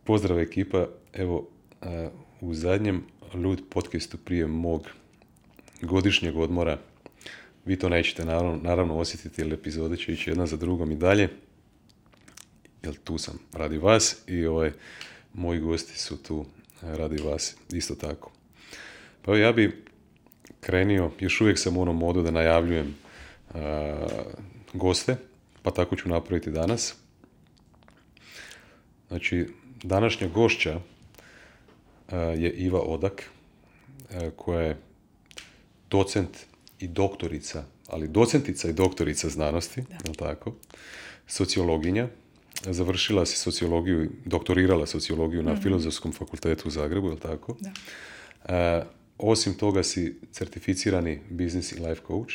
Pozdrav ekipa, evo u zadnjem Lud podcastu prije mog godišnjeg odmora, vi to nećete naravno osjetiti jer epizode će ići jedna za drugom i dalje, jer tu sam radi vas i moji gosti su tu radi vas isto tako. Pa ja bi krenio, još uvijek sam u onom modu da najavljujem goste, pa tako ću napraviti danas. Znači, današnja gošća je Iva Odak, koja je docent i doktorica, ali docentica i doktorica znanosti, je tako? Sociologinja. Završila si sociologiju, doktorirala sociologiju na Filozofskom fakultetu u Zagrebu, je tako? Da. Osim toga si certificirani business i life coach.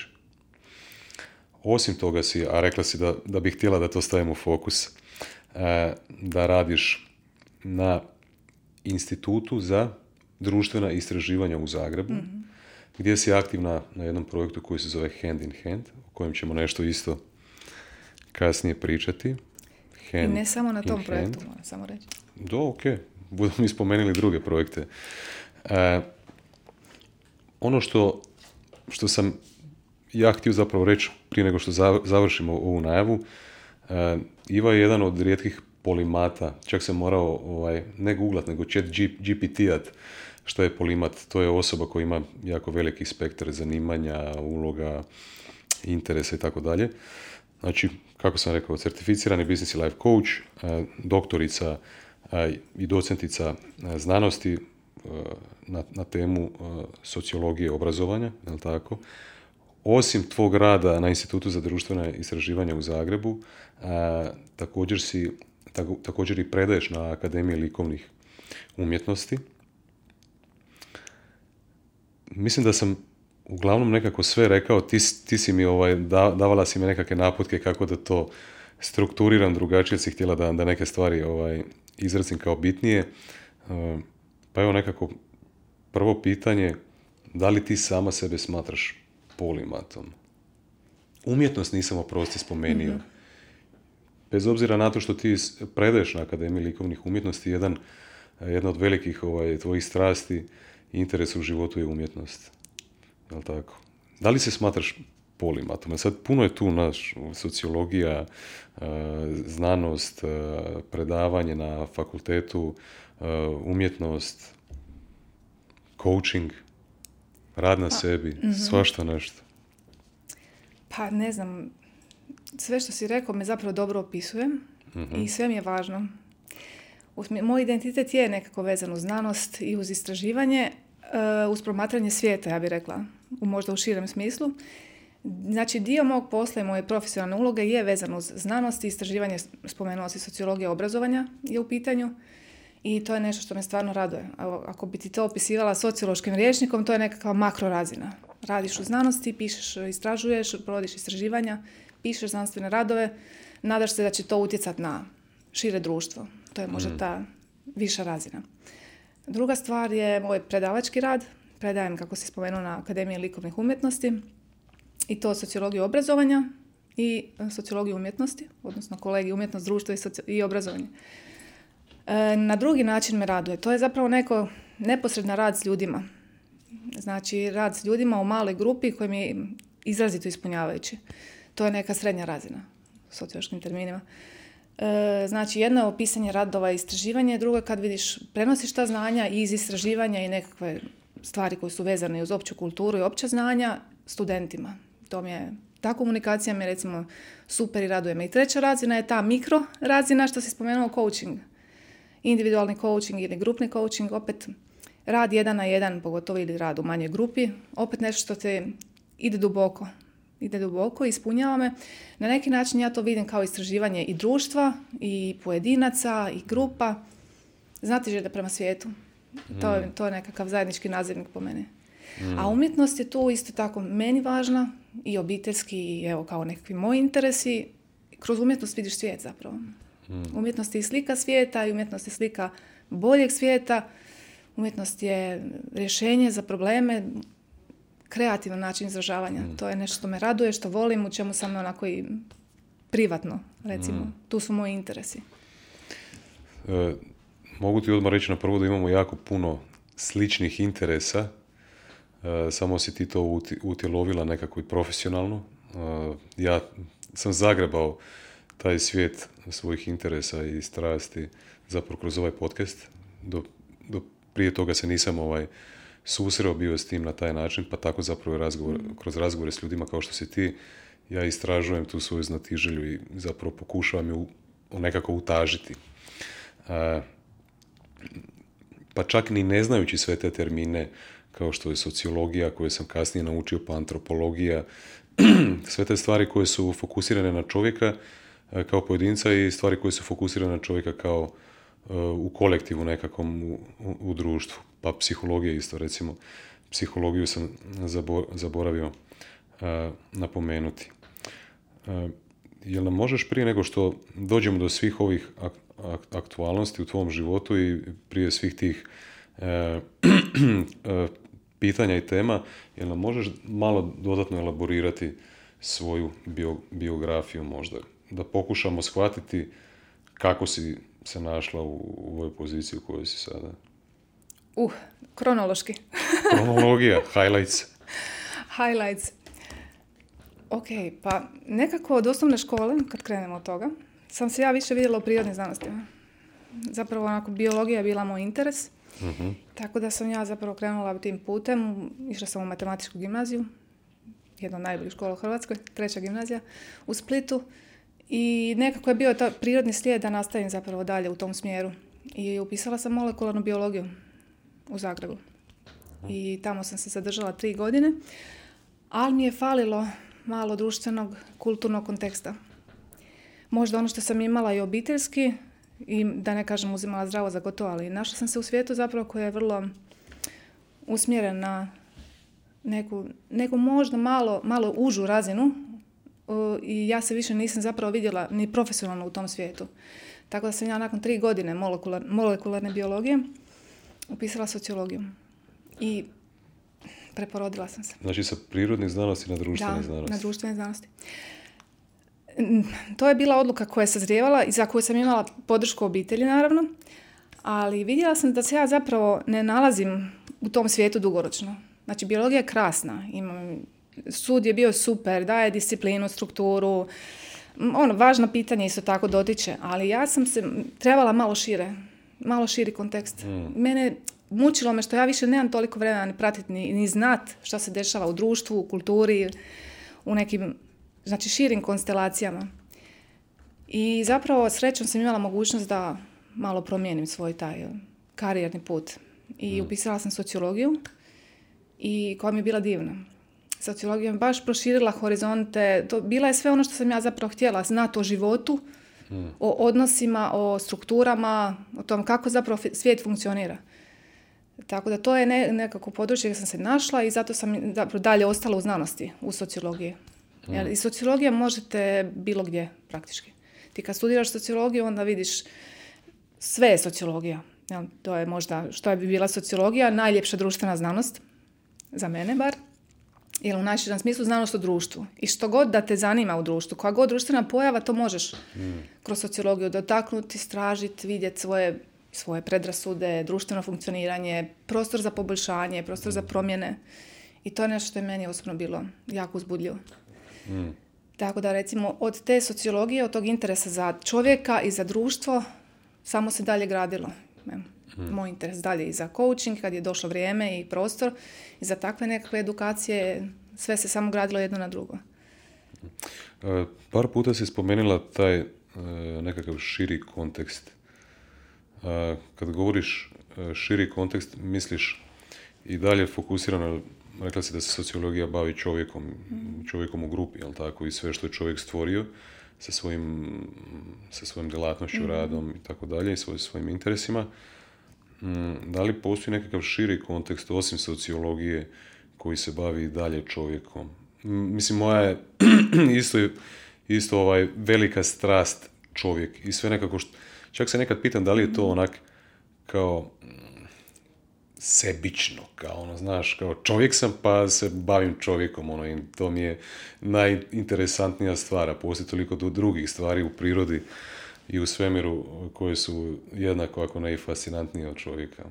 Osim toga si, a rekla si da bih htjela da to stavimo u fokus, da radiš na Institutu za društvena istraživanja u Zagrebu, gdje si aktivna na jednom projektu koji se zove Hand in Hand, o kojem ćemo nešto isto kasnije pričati. I ne samo na tom projektu, moram samo reći. Ok. Budemo mi spomenuli druge projekte. Ono što sam ja htio zapravo reći prije nego što završimo ovu najavu, Iva je jedan od rijetkih polimata, čak sam morao ne googlat, nego chat GPT-at što je polimat. To je osoba koja ima jako veliki spektar zanimanja, uloga, interesa i tako dalje. Znači, kako sam rekao, certificirani business i life coach, doktorica i docentica znanosti na temu sociologije obrazovanja, je li tako? Osim tvog rada na Institutu za društvena istraživanja u Zagrebu, također i predaješ na Akademiji likovnih umjetnosti. Mislim da sam uglavnom nekako sve rekao, ti si mi davala si mi nekakve naputke kako da to strukturiram drugačije, si htjela da neke stvari izrazim kao bitnije. Pa evo nekako prvo pitanje, da li ti sama sebe smatraš polimatom? Umjetnost nisam oprosti spomenio. Bez obzira na to što ti predaješ na Akademiji likovnih umjetnosti, jedna od velikih tvojih strasti i interesa u životu je umjetnost. Jel' tako? Da li se smatraš polimatom? Sad puno je tu sociologija, znanost, predavanje na fakultetu, umjetnost, coaching, rad na sebi, svašta nešto. Pa ne znam, sve što si rekao me zapravo dobro opisuje i sve mi je važno. Moj identitet je nekako vezan uz znanost i uz istraživanje, uz promatranje svijeta, ja bih rekla, možda u širem smislu. Znači, dio mog posla i moje profesionalne uloge je vezan uz znanost i istraživanje, spomenula si sociologija obrazovanja je u pitanju i to je nešto što me stvarno raduje. Ako bi ti to opisivala sociološkim rječnikom, to je nekakva makro razina. Radiš u znanosti, pišeš, istražuješ, provodiš istraživanja, pišeš znanstvene radove, nadaš se da će to utjecati na šire društvo. To je možda ta viša razina. Druga stvar je moj predavački rad. Predajem, kako si spomenuo, na Akademiji likovnih umjetnosti i to sociologiju obrazovanja i sociologiju umjetnosti, odnosno kolegij umjetnost, društvo i obrazovanje. Na drugi način me raduje. To je zapravo neko neposredan rad s ljudima. Znači, rad s ljudima u maloj grupi koji mi je izrazito ispunjavajući. To je neka srednja razina u sociološkim terminima. Znači, jedno je opisanje radova i istraživanje, drugo je kad vidiš, prenosiš ta znanja iz istraživanja i nekakve stvari koje su vezane uz opću kulturu i opća znanja studentima. Ta komunikacija mi je recimo super i raduje me. I treća razina je ta mikro razina što si spomenuo, coaching. Individualni coaching ili grupni coaching, opet rad 1 na 1, pogotovo ili rad u manjoj grupi, opet nešto što te ide duboko, ispunjava me. Na neki način ja to vidim kao istraživanje i društva, i pojedinaca, i grupa. Znati želje prema svijetu. To je nekakav zajednički nazivnik po meni. A umjetnost je tu isto tako meni važna, i obiteljski, i evo kao nekakvi moji interesi. Kroz umjetnost vidiš svijet zapravo. Umjetnost je slika svijeta i umjetnost je slika boljeg svijeta. Umjetnost je rješenje za probleme, kreativan način izražavanja. To je nešto što me raduje, što volim, u čemu sam onako i privatno, recimo. Tu su moji interesi. Mogu ti odmah reći na prvo da imamo jako puno sličnih interesa, samo si ti to utjelovila nekako i profesionalno. Ja sam zagrebao taj svijet svojih interesa i strasti zapravo kroz ovaj podcast. Do prije toga se nisam susreo bio s tim na taj način, pa tako zapravo kroz razgovore s ljudima kao što si ti, ja istražujem tu svoju znatiželju i zapravo pokušavam ju nekako utažiti. Pa čak ni ne znajući sve te termine, kao što je sociologija, koju sam kasnije naučio, pa antropologija, sve te stvari koje su fokusirane na čovjeka kao pojedinca i stvari koje su fokusirane na čovjeka kao u kolektivu nekakvom u društvu. Pa psihologija isto, recimo. Psihologiju sam zaboravio napomenuti. Jel nam možeš prije nego što dođemo do svih ovih aktualnosti u tvom životu i prije svih tih pitanja i tema, jel nam možeš malo dodatno elaborirati svoju biografiju možda? Da pokušamo shvatiti kako si se našla u ovoj poziciji u kojoj si sada. Kronološki. Kronologija, highlights. Highlights. Ok, pa nekako od osnovne škole, kad krenemo od toga, sam se ja više vidjela u prirodnim znanostima. Zapravo onako biologija je bila moj interes, tako da sam ja zapravo krenula tim putem. Išla sam u matematičku gimnaziju, jedna od najboljih škola u Hrvatskoj, 3. gimnazija u Splitu. I nekako je bio ta prirodni slijed da nastavim zapravo dalje u tom smjeru. I upisala sam molekularnu biologiju u Zagrebu. I tamo sam se zadržala 3 godine, ali mi je falilo malo društvenog, kulturnog konteksta. Možda ono što sam imala i obiteljski, i da ne kažem uzimala zdravo za gotovo, ali našla sam se u svijetu zapravo koji je vrlo usmjeren na neku možda malo užu razinu, i ja se više nisam zapravo vidjela ni profesionalno u tom svijetu. Tako da sam ja nakon 3 godine molekularne biologije upisala sociologiju i preporodila sam se. Znači sa prirodnih znanosti na društvene znanosti. Da, na društvene znanosti. To je bila odluka koja je sazrijevala i za koju sam imala podršku obitelji, naravno, ali vidjela sam da se ja zapravo ne nalazim u tom svijetu dugoročno. Znači, biologija je krasna, sud je bio super, daje disciplinu, strukturu, važno pitanje isto tako dotiče, ali ja sam se trebala malo širi kontekst. Mene mučilo me što ja više nemam toliko vremena ni pratiti, ni znat šta se dešava u društvu, u kulturi, u nekim, znači, širim konstelacijama. I zapravo srećom sam imala mogućnost da malo promijenim svoj taj karijerni put. I upisala sam sociologiju i koja mi je bila divna. Sociologija mi baš proširila horizonte. Bila je sve ono što sam ja zapravo htjela znati o životu, o odnosima, o strukturama, o tom kako zapravo svijet funkcionira. Tako da to je nekako područje gdje sam se našla i zato sam zapravo dalje ostala u znanosti, u sociologiji. Jer i sociologija možete bilo gdje praktički. Ti kad studiraš sociologiju onda vidiš sve je sociologija. To je možda što bi bila sociologija, najljepša društvena znanost, za mene bar. Jer u najširem smislu znanost o društvu. I što god da te zanima u društvu, koja god društvena pojava, to možeš kroz sociologiju dotaknuti, istražiti, vidjeti svoje predrasude, društveno funkcioniranje, prostor za poboljšanje, prostor za promjene. I to je nešto što je meni osobno bilo jako uzbudljivo. Tako da, recimo, od te sociologije, od tog interesa za čovjeka i za društvo, samo se dalje gradilo. Moj interes dalje i za coaching, kad je došlo vrijeme i prostor, i za takve nekakve edukacije, sve se samo gradilo jedno na drugo. Par puta si spomenula taj nekakav širi kontekst. Kad govoriš širi kontekst, misliš i dalje fokusirano, rekla si da se sociologija bavi čovjekom u grupi, jel tako, i sve što je čovjek stvorio sa svojim djelatnošću, radom i tako dalje, i svojim interesima. Da li postoji nekakav širi kontekst osim sociologije koji se bavi i dalje čovjekom? Mislim, moja je isto velika strast čovjek i sve nekako čak se nekad pitam da li je to onak kao sebično, kao znaš, kao čovjek sam pa se bavim čovjekom, i to mi je najinteresantnija stvar, a postoji toliko drugih stvari u prirodi i u svemiru koji su jednako, ako ne i fascinantniji od čovjeka.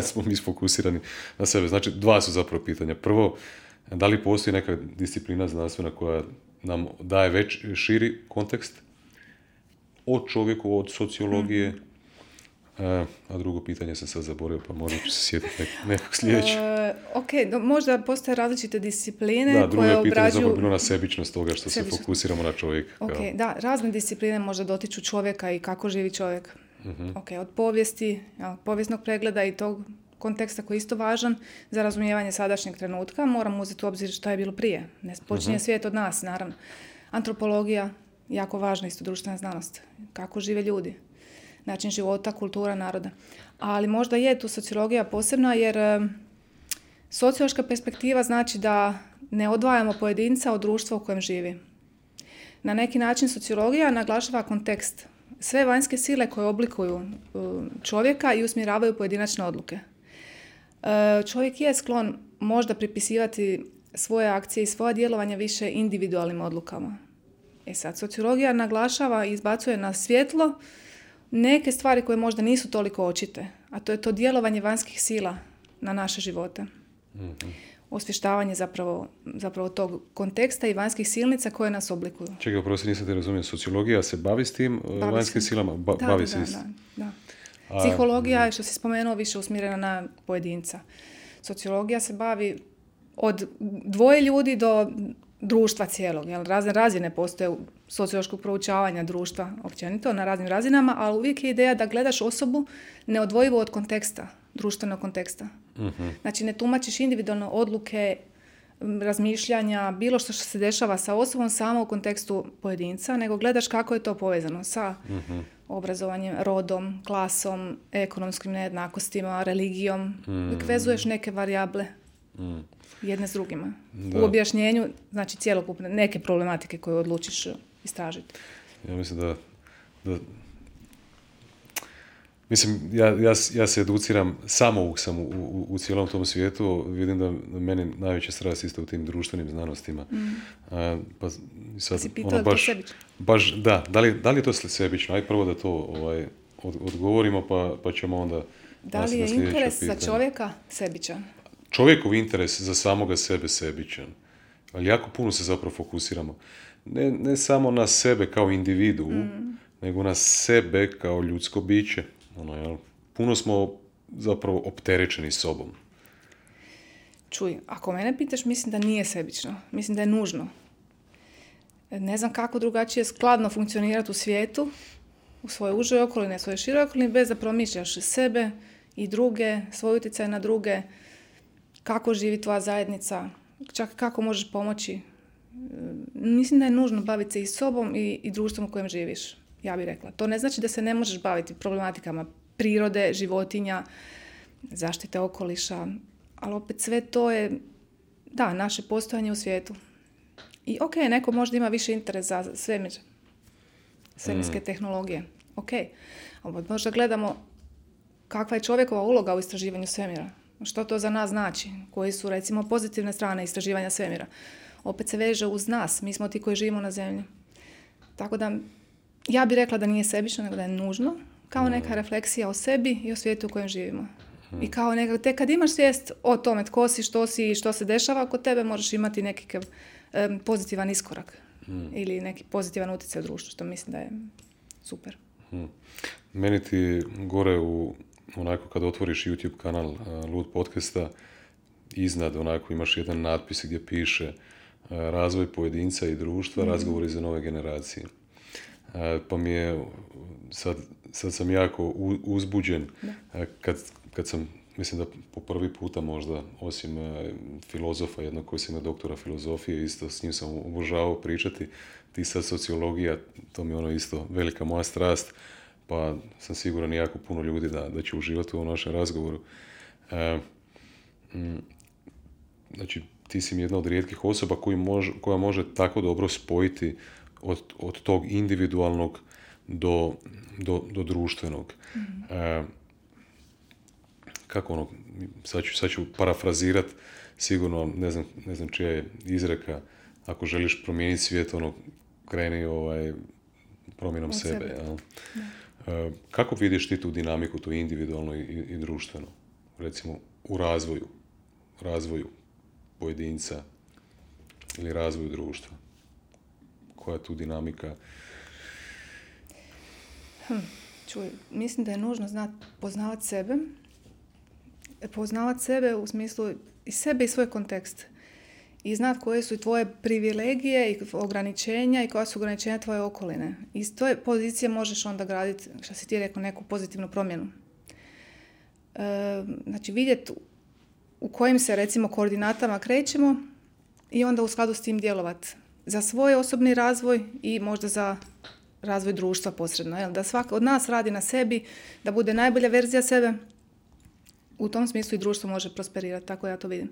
Smo mi sfokusirani na sebe. Znači, dva su zapravo pitanja. Prvo, da li postoji neka disciplina znanstvena koja nam daje širi kontekst od čovjeku, od sociologije, a drugo pitanje sam sad zaboravio, pa možda ću se sjetiti nekog sljedećeg. Možda postoje različite discipline koje obrađuju... Da, drugo je pitanje zapravo bilo na sebičnost toga što se fokusiramo na čovjeka. Da, razne discipline možda dotiču čovjeka i kako živi čovjek. Od povijesti, povijesnog pregleda i tog konteksta koji je isto važan za razumijevanje sadašnjeg trenutka, moramo uzeti u obzir što je bilo prije. Ne počinje svijet od nas, naravno. Antropologija, jako važna isto društvena znanost. Kako žive ljudi, način života, kultura naroda. Ali možda je tu sociologija posebna jer sociološka perspektiva znači da ne odvajamo pojedinca od društva u kojem živi. Na neki način sociologija naglašava kontekst. Sve vanjske sile koje oblikuju čovjeka i usmjeravaju pojedinačne odluke. Čovjek je sklon možda pripisivati svoje akcije i svoja djelovanja više individualnim odlukama. Sad, sociologija naglašava i izbacuje na svjetlo neke stvari koje možda nisu toliko očite, a to je to djelovanje vanjskih sila na naše živote. Osvještavanje zapravo tog konteksta i vanjskih silnica koje nas oblikuju. Čekaj, oprosti, nisam te razumio. Sociologija se bavi s tim vanjskim silama? Bavi se isto. Da. Psihologija, što si spomenuo, više usmjerena na pojedinca. Sociologija se bavi od dvoje ljudi do društva cijelog. Razne razine postoje sociološkog proučavanja društva općenito na raznim razinama, ali uvijek je ideja da gledaš osobu neodvojivo od konteksta, društvenog konteksta. Znači, ne tumačiš individualno odluke, razmišljanja, bilo što se dešava sa osobom samo u kontekstu pojedinca, nego gledaš kako je to povezano sa obrazovanjem, rodom, klasom, ekonomskim nejednakostima, religijom. Uvijek vezuješ neke varijable jedne s drugima. Da. U objašnjenju, znači cjelokupne neke problematike koje odlučiš istražiti. Ja mislim da mislim, ja se educiram, samouk sam u cijelom tom svijetu, vidim da meni najveća strast isto u tim društvenim znanostima. Pa sad, si pitao je to sebično? Baš, da li je to sebično? Aj prvo da to odgovorimo, pa ćemo onda... Da li je interes za čovjeka sebičan? Čovjekov interes za samoga sebe sebičan. Ali jako puno se zapravo fokusiramo. Ne samo na sebe kao individu, nego na sebe kao ljudsko biće. Puno smo zapravo opterećeni sobom. Čuj, ako mene pitaš, mislim da nije sebično. Mislim da je nužno. Ne znam kako drugačije skladno funkcionirati u svijetu, u svojoj užoj okolini, svojoj široj okolini, bez da promišljaš sebe i druge, svoj utjecaj na druge, kako živi tvoja zajednica, čak kako možeš pomoći. Mislim da je nužno baviti se i sobom i društvom u kojem živiš, ja bih rekla. To ne znači da se ne možeš baviti problematikama prirode, životinja, zaštite okoliša, ali opet sve to je, da, naše postojanje u svijetu. I neko možda ima više interes za svemirske tehnologije. Ali možda gledamo kakva je čovjekova uloga u istraživanju svemira. Što to za nas znači? Koji su, recimo, pozitivne strane istraživanja svemira? Opet se veže uz nas. Mi smo ti koji živimo na zemlji. Tako da, ja bih rekla da nije sebično, nego da je nužno, kao neka refleksija o sebi i o svijetu u kojem živimo. I kao tek kad imaš svijest o tome tko si, što si i što se dešava oko tebe, možeš imati neki pozitivan iskorak ili neki pozitivan utjecaj u društvu, što mislim da je super. Meni ti gore onako kad otvoriš YouTube kanal Lud podcasta, iznad onako imaš jedan natpis gdje piše razvoj pojedinca i društva, razgovori za nove generacije. Pa mi je, sad sam jako uzbuđen kad sam, mislim da po prvi puta možda, osim filozofa jednog koji sam imao doktora filozofije, isto s njim sam obožavao pričati, ti sad sociologija, to mi je isto velika moja strast, pa sam siguran jako puno ljudi da će uživati u ovom našem razgovoru. Znači, ti si jedna od rijetkih osoba koja može tako dobro spojiti od tog individualnog do društvenog. Kako sad ću parafrazirat, sigurno, ne znam čija je izreka, ako želiš promijeniti svijet, kreni promjenom sebe. sebe. Jel? Kako vidiš ti tu dinamiku, tu individualno i društveno? Recimo u razvoju pojedinca ili razvoju društva? Koja je tu dinamika? Čuj, mislim da je nužno poznavati sebe u smislu i sebe i svoj kontekst. I znati koje su tvoje privilegije i ograničenja i koja su ograničenja tvoje okoline. Iz tvoje pozicije možeš onda graditi, što si ti rekao, neku pozitivnu promjenu. Znači vidjeti u kojim se recimo koordinatama krećemo i onda u skladu s tim djelovati za svoj osobni razvoj i možda za razvoj društva posredno. Jel? Da svaka od nas radi na sebi, da bude najbolja verzija sebe. U tom smislu i društvo može prosperirati, tako ja to vidim.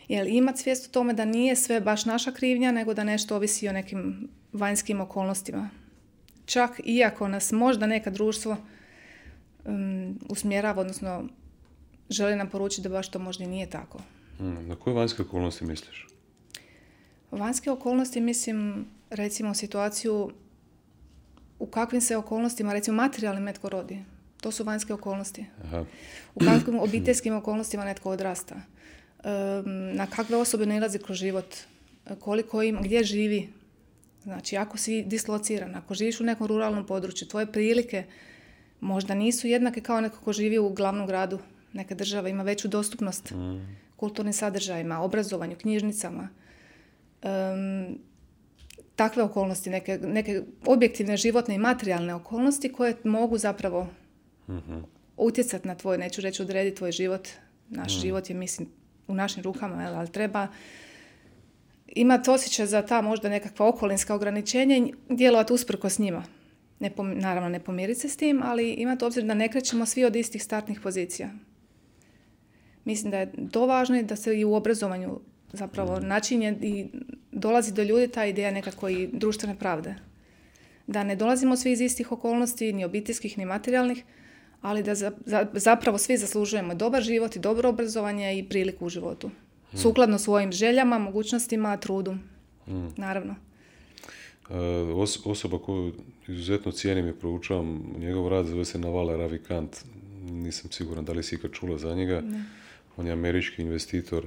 Jer imati svijest o tome da nije sve baš naša krivnja, nego da nešto ovisi o nekim vanjskim okolnostima. Čak iako nas možda neka društvo usmjerava, odnosno želi nam poručiti da baš to možda i nije tako. Na koje vanjske okolnosti misliš? Vanjske okolnosti mislim, recimo, situaciju u kakvim se okolnostima, recimo materijalnim netko rodi. To su vanjske okolnosti. Aha. U kakvim obiteljskim okolnostima netko odrasta. Na kakve osobe nailazi kroz život. Koliko ima, gdje živi. Znači, ako si dislociran, ako živiš u nekom ruralnom području, tvoje prilike možda nisu jednake kao neko ko živi u glavnom gradu. Neka država ima veću dostupnost kulturnim sadržajima, obrazovanju, knjižnicama. Takve okolnosti, neke objektivne životne i materijalne okolnosti koje mogu zapravo utjecati na tvoj, neću reći odrediti tvoj život. Naš život je, mislim, u našim rukama, ali treba imati osjećaj za ta možda nekakva okolinska ograničenja i djelovati usprkos njima. Naravno, ne pomiriti se s tim, ali imati obzir da ne krećemo svi od istih startnih pozicija. Mislim da je to važno i da se i u obrazovanju zapravo načinje i dolazi do ljudi ta ideja nekako i društvene pravde. Da ne dolazimo svi iz istih okolnosti, ni obiteljskih, ni materijalnih, ali da zapravo svi zaslužujemo dobar život i dobro obrazovanje i priliku u životu. Sukladno svojim željama, mogućnostima, trudu. Naravno. Osoba koju izuzetno cijenim i proučavam njegov rad zove se Naval Ravikant. Nisam siguran da li si ikad čula za njega. Ne. On je američki investitor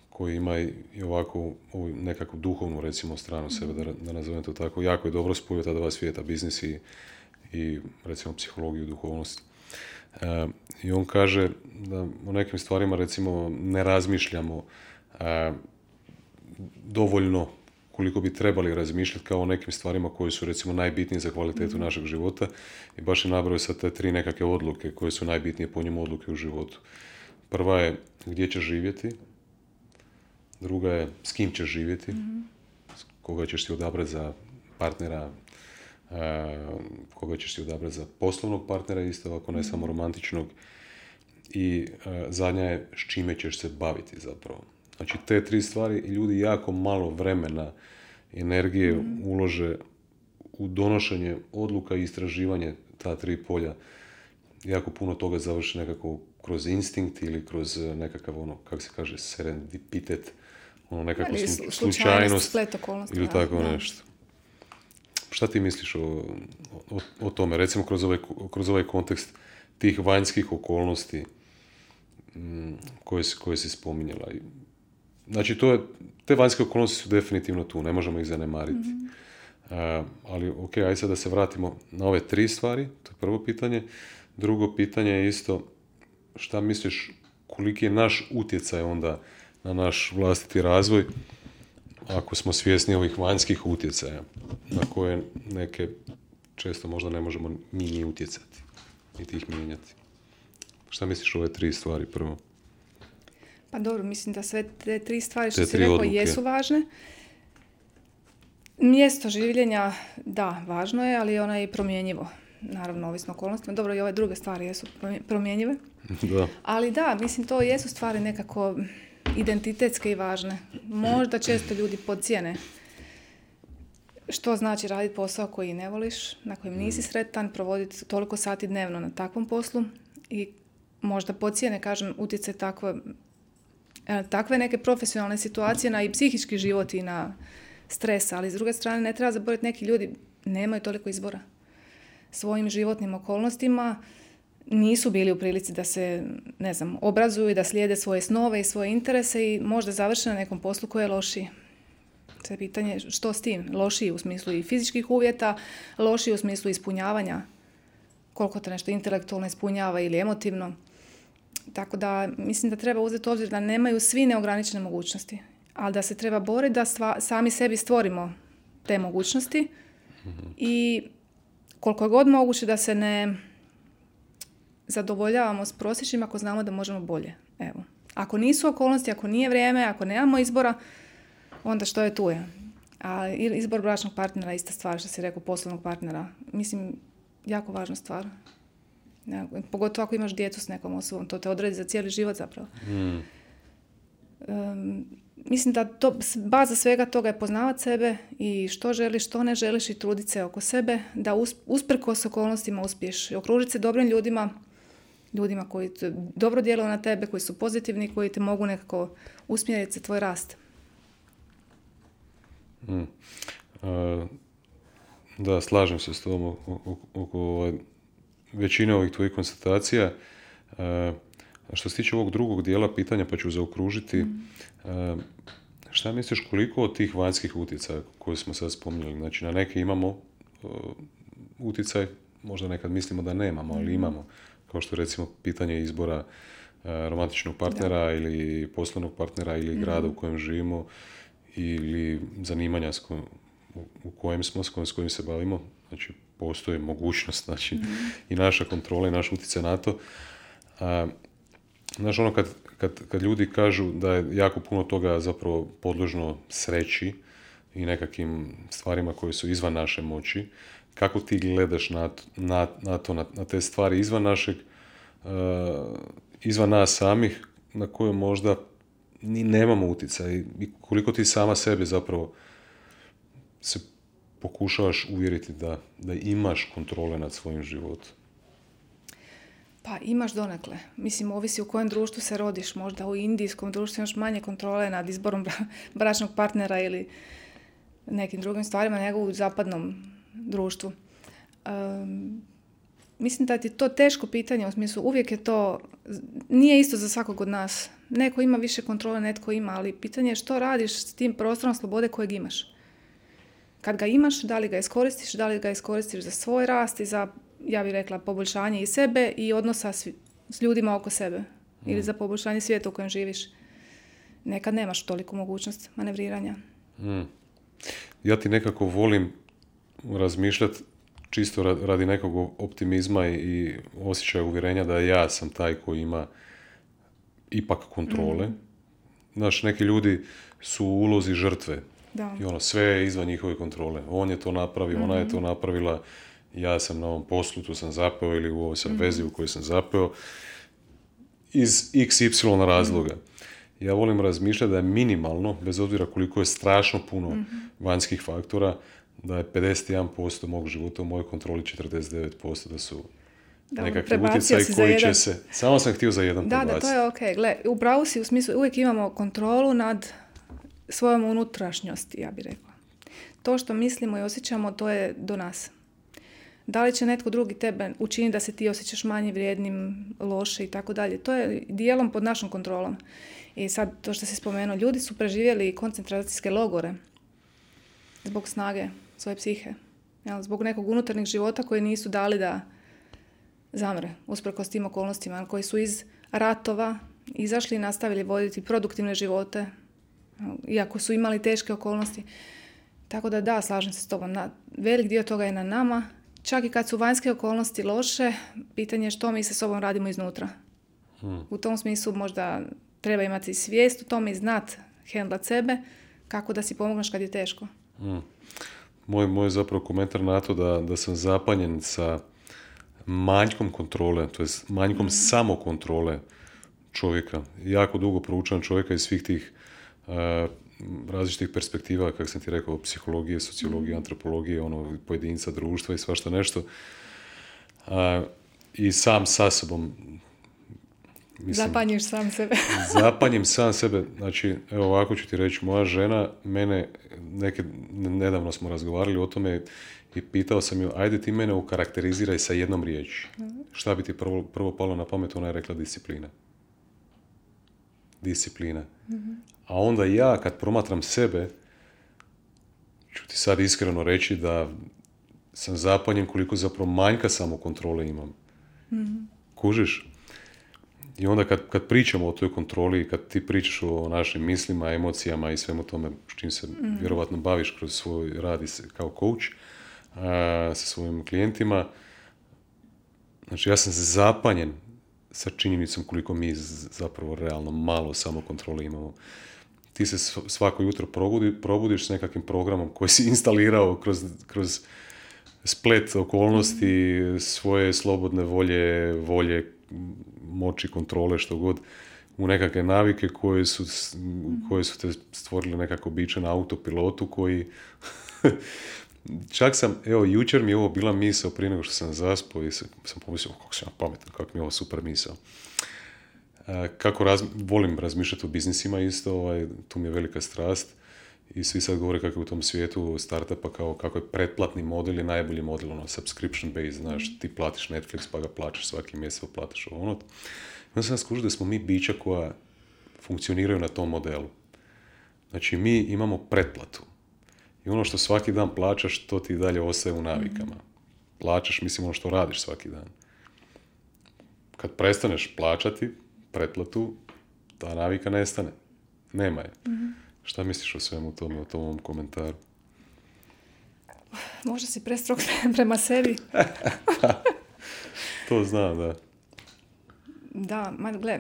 koji ima i ovako nekakvu duhovnu, recimo, stranu sebe, da nazovem to tako. Jako je dobro spojio ta dva svijeta, biznis i recimo psihologiju, duhovnost. I on kaže da o nekim stvarima, recimo, ne razmišljamo dovoljno koliko bi trebali razmišljati kao o nekim stvarima koje su, recimo, najbitnije za kvalitetu našeg života. I baš je nabrojao sad te 3 nekakve odluke koje su najbitnije po njemu odluke u životu. Prva je gdje ćeš živjeti, druga je s kim ćeš živjeti, koga ćeš si odabrati za partnera, koga ćeš si odabrati za poslovnog partnera, isto ako ne samo romantičnog. I zadnja je s čime ćeš se baviti zapravo. Znači, te 3 stvari ljudi jako malo vremena, energije ulože u donošenje odluka i istraživanje ta 3 polja. Jako puno toga završi nekako kroz instinkt ili kroz nekakav, kako se kaže, serendipitet, nekakvu slučajnost ili tako nešto. Šta ti misliš o tome? Recimo kroz ovaj kontekst tih vanjskih okolnosti koje si spominjala. Znači, te vanjske okolnosti su definitivno tu, ne možemo ih zanemariti. Ali, ok, ajde sad da se vratimo na ove 3 stvari, to je prvo pitanje. Drugo pitanje je isto, šta misliš, koliki je naš utjecaj onda na naš vlastiti razvoj, ako smo svjesni ovih vanjskih utjecaja, na koje neke često možda ne možemo mi ni utjecati, niti ih mijenjati. Šta misliš o ove 3 stvari prvo? Pa dobro, mislim da sve te 3 stvari što si rekao jesu važne. Mjesto življenja, da, važno je, ali ono je i promjenjivo. Naravno, ovisno okolnostima. Dobro, i ove druge stvari jesu promjenjive. Da. Ali da, mislim, to jesu stvari nekako identitetske i važne. Možda često ljudi podcijene što znači raditi posao koji ne voliš, na kojem nisi sretan, provoditi toliko sati dnevno na takvom poslu i možda podcijene, kažem, utjecaj takve neke profesionalne situacije na i psihički život i na stresa, ali s druge strane ne treba zaboraviti, neki ljudi nemaju toliko izbora. Svojim životnim okolnostima nisu bili u prilici da se, ne znam, obrazuju i da slijede svoje snove i svoje interese i možda završe na nekom poslu koji je lošiji. Sve pitanje što s tim? Lošiji u smislu i fizičkih uvjeta, lošiji u smislu ispunjavanja, koliko te nešto intelektualno ispunjava ili emotivno. Tako da mislim da treba uzeti u obzir da nemaju svi neograničene mogućnosti, ali da se treba boriti da sami sebi stvorimo te mogućnosti i koliko je god moguće da se ne zadovoljavamo s prosječnim ako znamo da možemo bolje. Evo. Ako nisu okolnosti, ako nije vrijeme, ako nemamo izbora, onda što je tu je. A izbor bračnog partnera je ista stvar, što si rekao, poslovnog partnera. Mislim, jako važna stvar. Ja, pogotovo ako imaš djecu s nekom osobom, to te odredi za cijeli život zapravo. Mislim da baza svega toga je poznavati sebe i što želiš, što ne želiš i truditi se oko sebe, da usprkos okolnostima uspiješ. I okružiti se dobrim ljudima koji dobro djeluju na tebe, koji su pozitivni, koji te mogu nekako usmjeriti za tvoj rast. Da, slažem se s tobom oko većine ovih tvojih konstatacija. Što se tiče ovog drugog dijela pitanja, pa ću zaokružiti, šta misliš koliko od tih vanjskih utjecaja koje smo sad spominjali, znači na neke imamo utjecaj, možda nekad mislimo da nemamo, ali imamo, kao što recimo pitanje izbora romantičnog partnera ili poslovnog partnera ili grada u kojem živimo ili zanimanja u kojem smo, s kojim se bavimo, znači postoji mogućnost, znači i naša kontrola i naš utjecaj na to. Znaš, ono kad ljudi kažu da je jako puno toga zapravo podložno sreći i nekakvim stvarima koje su izvan naše moći, kako ti gledaš na te stvari izvan našeg, izvan nas samih, na koje možda ni nemamo utjecaj i koliko ti sama sebi zapravo se pokušavaš uvjeriti da imaš kontrole nad svojim životom? Pa imaš donekle. Mislim, ovisi u kojem društvu se rodiš. Možda u indijskom društvu imaš manje kontrole nad izborom bračnog partnera ili nekim drugim stvarima nego u zapadnom društvu. Mislim da ti je to teško pitanje, u smislu uvijek je to, nije isto za svakog od nas. Neko ima više kontrole, netko ima, ali pitanje je što radiš s tim prostorom slobode kojeg imaš. Kad ga imaš, da li ga iskoristiš za svoj rast i za, ja bih rekla, poboljšanje i sebe i odnosa s ljudima oko sebe. Ili za poboljšanje svijeta u kojem živiš. Nekad nemaš toliku mogućnost manevriranja. Ja ti nekako volim razmišljati čisto radi nekog optimizma i osjećaja uvjerenja da ja sam taj koji ima ipak kontrole. Znaš, neki ljudi su u ulozi žrtve. Da. I sve je izvan njihove kontrole. On je to napravio, ona je to napravila, ja sam na ovom poslu, tu sam zapeo ili u ovoj sam vezi u kojoj sam zapeo iz XY razloga. Ja volim razmišljati da je minimalno, bez obzira koliko je strašno puno vanjskih faktora, da je 51% mog života u mojoj kontroli, 49% da su nekakvi utjecaji koji će se... Samo sam htio za jedan prebaciti. Da, to je ok. Gle, upravo si u smislu, uvijek imamo kontrolu nad svojom unutrašnjosti, ja bih rekla. To što mislimo i osjećamo, to je do nas. Da li će netko drugi tebe učiniti da se ti osjećaš manje vrijednim, loše i tako dalje. To je dijelom pod našom kontrolom. I sad, to što si spomenuo, ljudi su preživjeli koncentracijske logore zbog snage svoje psihe. Zbog nekog unutarnjeg života koji nisu dali da zamre, usprkos tim okolnostima, koji su iz ratova izašli i nastavili voditi produktivne živote, iako su imali teške okolnosti. Tako da, slažem se s tobom. Velik dio toga je na nama. Čak i kad su vanjske okolnosti loše, pitanje je što mi sa sobom radimo iznutra. U tom smislu možda treba imati svijest u tome i znat hendlat sebe, kako da si pomogneš kad je teško. Moj zapravo komentar na to da sam zapanjen sa manjkom kontrole, to je manjkom samokontrole čovjeka. Jako dugo proučavam čovjeka iz svih tih različitih perspektiva, kako sam ti rekao, psihologije, sociologije, antropologije, pojedinca, društva i svašta nešto. I sam sa sobom Zapanjiš sam sebe. Zapanjim sam sebe. Znači, evo ovako ću ti reći, moja žena, nedavno smo razgovarali o tome i pitao sam ju, ajde ti mene ukarakteriziraj sa jednom riječi. Šta bi ti prvo palo na pamet? Ona je rekla disciplina. Disciplina. A onda ja, kad promatram sebe, ću ti sad iskreno reći da sam zapanjen koliko zapravo manjka samokontrole imam. Kužiš? I onda kad pričamo o toj kontroli, kad ti pričaš o našim mislima, emocijama i svemu tome s čim se vjerovatno baviš kroz svoj rad kao coach sa svojim klijentima, znači ja sam zapanjen sa činjenicom koliko mi zapravo realno malo samokontrole imamo. Ti se svako jutro probudiš s nekakvim programom koji si instalirao kroz splet okolnosti, svoje slobodne volje, moći, kontrole, što god, u nekakve navike koje su te stvorile nekako biće na autopilotu koji... Čak sam, evo, jučer mi je ovo bila misao prije nego što sam zaspao i sam pomislio, kako sam ja pametan, kako mi je ovo super misao. Volim razmišljati o biznisima isto, tu mi je velika strast i svi sad govore kako je u tom svijetu startupa kao kako je pretplatni model i najbolji model, subscription based, znaš, ti platiš Netflix pa ga plaćaš svaki mjesec, platiš ono. Onda sam skužio da smo mi bića koja funkcioniraju na tom modelu. Znači, mi imamo pretplatu. I ono što svaki dan plaćaš, to ti dalje ostaje u navikama. Plaćaš, mislim, ono što radiš svaki dan. Kad prestaneš plaćati pretplatu, ta navika nestane. Nema je. Šta misliš o svemu tome, o tom komentaru? Možda si prestrog prema sebi. To znam, da. Da, gle,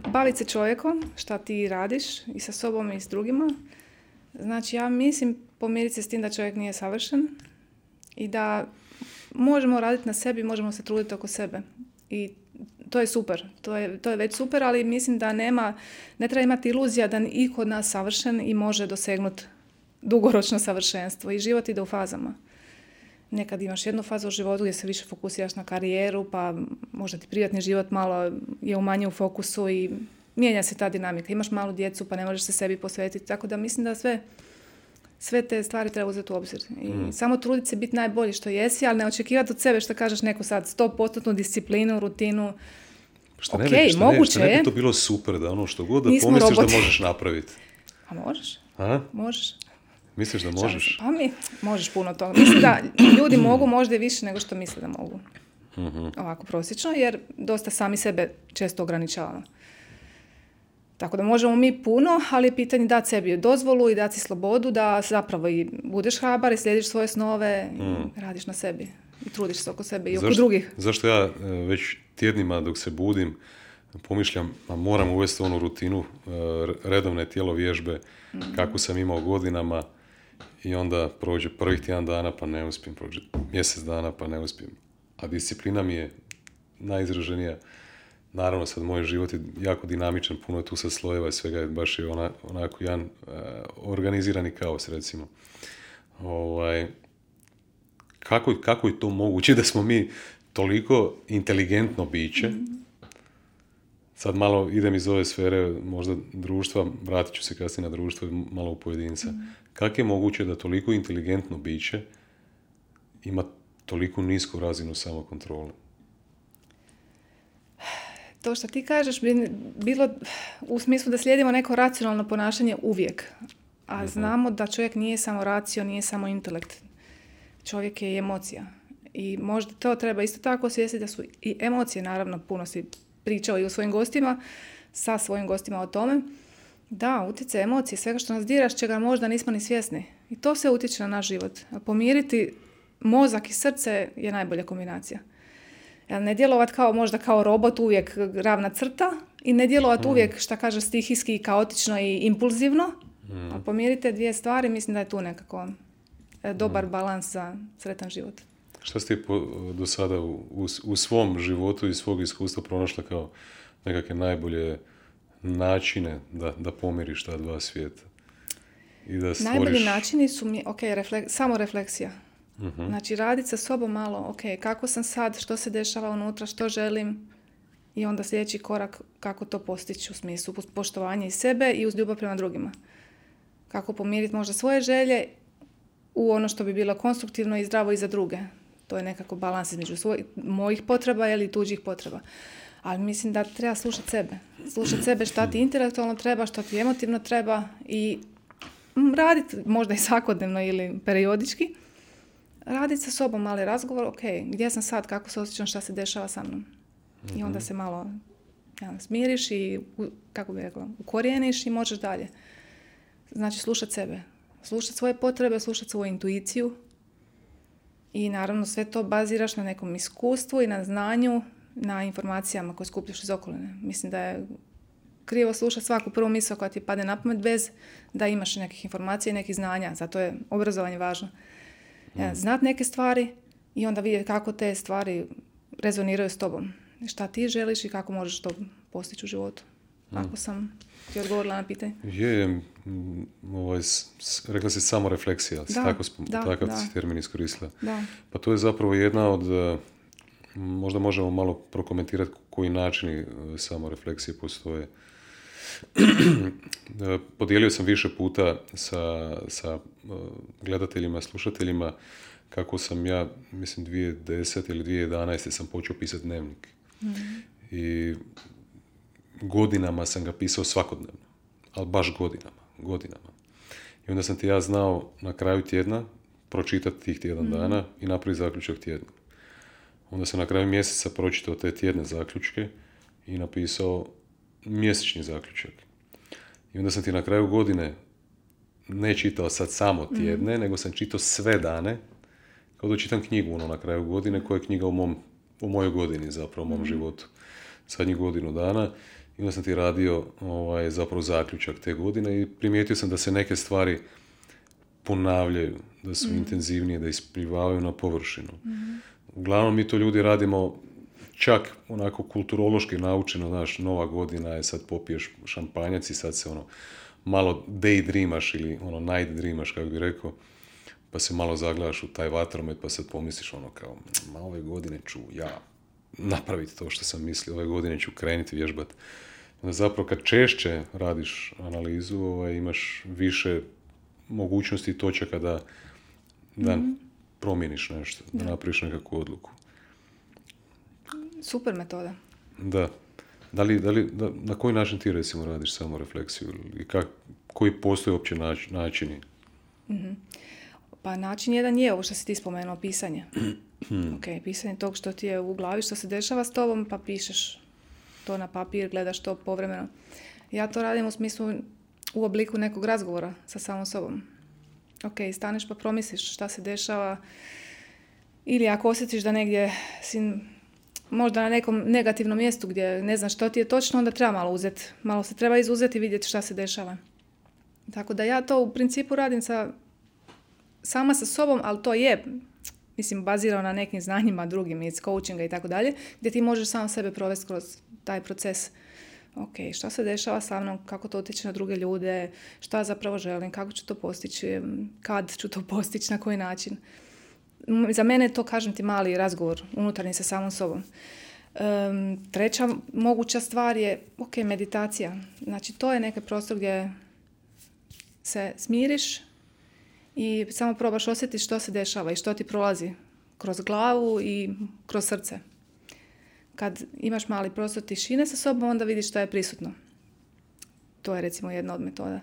baviti se čovjekom, šta ti radiš i sa sobom i s drugima. Znači, ja mislim pomiriti se s tim da čovjek nije savršen i da možemo raditi na sebi, možemo se truditi oko sebe. I to je super, to je već super, ali mislim da ne treba imati iluzija da iko od nas savršen i može dosegnuti dugoročno savršenstvo. I život ide u fazama. Nekad imaš jednu fazu u životu gdje se više fokusiraš na karijeru, pa možda ti privatni život malo je manje u fokusu i mijenja se ta dinamika. Imaš malu djecu, pa ne možeš se sebi posvetiti. Tako da mislim da sve te stvari treba uzeti u obzir. I samo truditi se biti najbolji što jesi, ali ne očekivati od sebe što kažeš neko sad 100% disciplinu, rutinu. Moguće je. Ne bi to bilo super da ono što god da nismo pomisliš roboti. Da možeš napraviti. A možeš? A? Možeš. Misliš da možeš? Pa možeš puno toga. Mislim da ljudi mogu možda i više nego što misle da mogu. Ovako prosječno, jer dosta sami sebe često ograničavamo. Tako da možemo mi puno, ali je pitanje dati sebi dozvolu i dati si slobodu da zapravo i budeš hrabar i slijediš svoje snove i radiš na sebi. I trudiš se oko sebe i oko drugih. Zašto ja već tjednima dok se budim pomišljam, a moram uvesti onu rutinu redovne tjelovježbe kako sam imao godinama i onda prođe prvih tjedan dana pa ne uspijem, prođe mjesec dana pa ne uspijem. A disciplina mi je najizraženija. Naravno, sad moj život je jako dinamičan, puno je tu sad slojeva i svega, je baš je onako jedan organizirani kaos, recimo. Kako je to moguće da smo mi toliko inteligentno biće? Sad malo idem iz ove sfere, možda društva, vratit ću se kasnije na društvo, malo u pojedinca. Kako je moguće da toliko inteligentno biće ima toliko nisku razinu samokontrole? To što ti kažeš bi bilo u smislu da slijedimo neko racionalno ponašanje uvijek. A znamo da čovjek nije samo racio, nije samo intelekt. Čovjek je i emocija. I možda to treba isto tako osvijestiti da su i emocije, naravno, puno si pričao i o svojim gostima, sa svojim gostima o tome. Da, utjecaj emocije, svega što nas diraš, čega možda nismo ni svjesni. I to sve utječe na naš život. A pomiriti mozak i srce je najbolja kombinacija. Ne djelovat možda kao robot uvijek ravna crta i ne djelovat uvijek, šta kaže, stihijski, kaotično i impulzivno. A pomirite dvije stvari, mislim da je tu nekako dobar balans za sretan život. Šta ste do sada u svom životu i svog iskustva pronašla kao nekakve najbolje načine da pomiriš ta dva svijeta? I da stvoriš... Najbolji načini su mi, samo refleksija. Znači, raditi sa sobom malo, kako sam sad, što se dešava unutra, što želim I onda sljedeći korak kako to postići u smislu poštovanja i sebe i uz ljubav prema drugima. Kako pomiriti možda svoje želje u ono što bi bilo konstruktivno i zdravo i za druge. To je nekako balans između mojih potreba ili tuđih potreba. Ali mislim da treba slušati sebe. Slušati sebe šta ti intelektualno treba, što ti emotivno treba i raditi možda i svakodnevno ili periodički. Raditi sa sobom mali razgovor, ok, gdje sam sad, kako se osjećam, šta se dešava sa mnom. I onda se malo smiriš i, kako bih rekla, ukorijeniš i možeš dalje. Znači slušati sebe. Slušati svoje potrebe, slušati svoju intuiciju. I naravno sve to baziraš na nekom iskustvu i na znanju, na informacijama koje skupljaš iz okoline. Mislim da je krivo slušati svaku prvu misao koja ti padne na pamet bez da imaš nekih informacija i nekih znanja. Zato je obrazovanje važno. Znati neke stvari i onda vidjeti kako te stvari rezoniraju s tobom. Šta ti želiš i kako možeš to postići u životu. Ako sam ti odgovorila na pitanje. Rekla si samo refleksija. Takav si termin iskoristila. Da. Pa to je zapravo jedna od... Možda možemo malo prokomentirati koji načini samorefleksije postoje. Podijelio sam više puta sa gledateljima, slušateljima kako sam ja, mislim 2010. ili 2011. sam počeo pisati dnevnik. I godinama sam ga pisao svakodnevno. Ali baš godinama. I onda sam ti ja znao na kraju tjedna pročitati tih tjedan dana i napraviti zaključak tjedna. Onda sam na kraju mjeseca pročitao te tjedne zaključke i napisao mjesečni zaključak. I onda sam ti na kraju godine ne čitao sad samo tjedne, nego sam čitao sve dane, kao da čitam knjigu na kraju godine, koja je knjiga u mojoj godini, zapravo u mom životu. Zadnjih godinu dana. I onda sam ti radio zapravo zaključak te godine i primijetio sam da se neke stvari ponavljaju, da su intenzivnije, da isplivavaju na površinu. Uglavnom mi to ljudi radimo čak onako kulturološki naučeno, znaš, nova godina je, sad popiješ šampanjac i sad se malo daydreamaš ili night dreamaš, kako bi rekao, pa se malo zagledaš u taj vatromet pa sad pomisliš kao, ove godine ću ja napraviti to što sam mislio, ove godine ću krenuti vježbati. Onda zapravo kad češće radiš analizu, imaš više mogućnosti i točaka da promijeniš nešto, da napraviš nekakvu odluku. Super metoda. Da. Na koji način ti recimo radiš samorefleksiju i koji postoje uopće načini? Pa način jedan je ovo što si ti spomenuo, pisanje. Pisanje tog što ti je u glavi, što se dešava s tobom, pa pišeš to na papir, gledaš to povremeno. Ja to radim u smislu u obliku nekog razgovora sa samom sobom. Staneš pa promisliš šta se dešava, ili ako osjetiš da negdje si možda na nekom negativnom mjestu gdje ne znaš što ti je točno, onda treba malo se treba izuzeti i vidjeti šta se dešava. Tako da ja to u principu radim sama sa sobom, ali to je, bazirano na nekim znanjima drugim iz coachinga i tako dalje, gdje ti možeš sam sebe provesti kroz taj proces. Šta se dešava sa mnom, kako to utječe na druge ljude, šta zapravo želim, kako ću to postići, kad ću to postići, na koji način. Za mene je to, kažem ti, mali razgovor unutarnji sa samom sobom. Treća moguća stvar je, meditacija. Znači, to je neki prostor gdje se smiriš i samo probaš osjetiti što se dešava i što ti prolazi kroz glavu i kroz srce. Kad imaš mali prostor tišine sa sobom, onda vidiš što je prisutno. To je recimo jedna od metoda.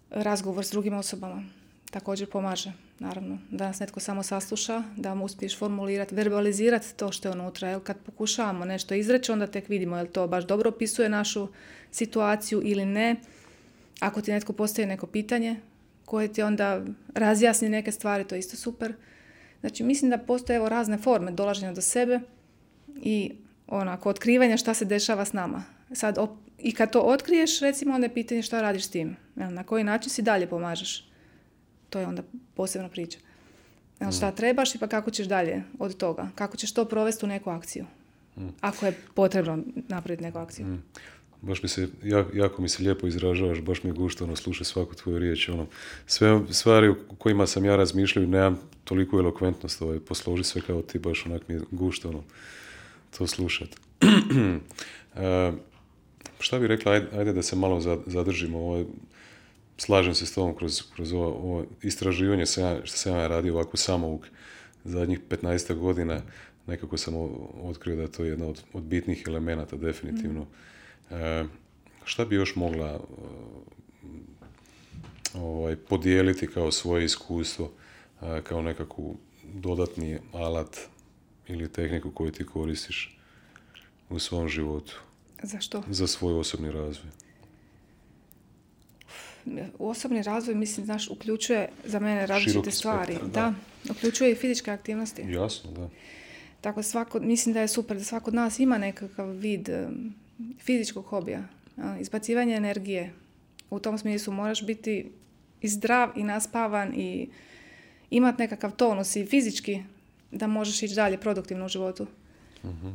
Razgovor s drugim osobama također pomaže, naravno. Da nas netko samo sasluša, da mu uspiješ formulirati, verbalizirati to što je unutra. Jer kad pokušavamo nešto izreći, onda tek vidimo je li to baš dobro opisuje našu situaciju ili ne. Ako ti netko postavi neko pitanje koje ti onda razjasni neke stvari, to je isto super. Znači, mislim da postoje razne forme dolaženja do sebe i otkrivanja šta se dešava s nama. Sad, i kad to otkriješ, recimo, onda je pitanje šta radiš s tim. Na koji način si dalje pomažeš. To je onda posebna priča. Šta trebaš i pa kako ćeš dalje od toga. Kako ćeš to provesti u neku akciju. Ako je potrebno napraviti neku akciju. Baš jako mi se lijepo izražavaš, baš mi je gušto slušati svaku tvoju riječ. Sve stvari u kojima sam ja razmišljao, nemam toliko elokventnost, posloži sve kao ti, baš onak mi je gušto to slušati. Šta bi rekla, ajde da se malo zadržimo. Slažem se s tobom kroz ovo istraživanje što sam ja radio ovako samouk zadnjih 15 godina. Nekako sam otkrio da je to jedna od bitnih elemenata, definitivno. Šta bi još mogla podijeliti kao svoje iskustvo, kao nekakvu dodatni alat ili tehniku koju ti koristiš u svom životu? Zašto? Za svoj osobni razvoj. Osobni razvoj, mislim, znaš, uključuje za mene različite stvari. Spektar, da, uključuje i fizičke aktivnosti. Jasno, da. Tako mislim da je super da svako od nas ima nekakav vid fizičkog hobija. Izbacivanje energije. U tom smislu moraš biti i zdrav i naspavan i imati nekakav tonus i fizički da možeš ići dalje produktivno u životu. Uh-huh.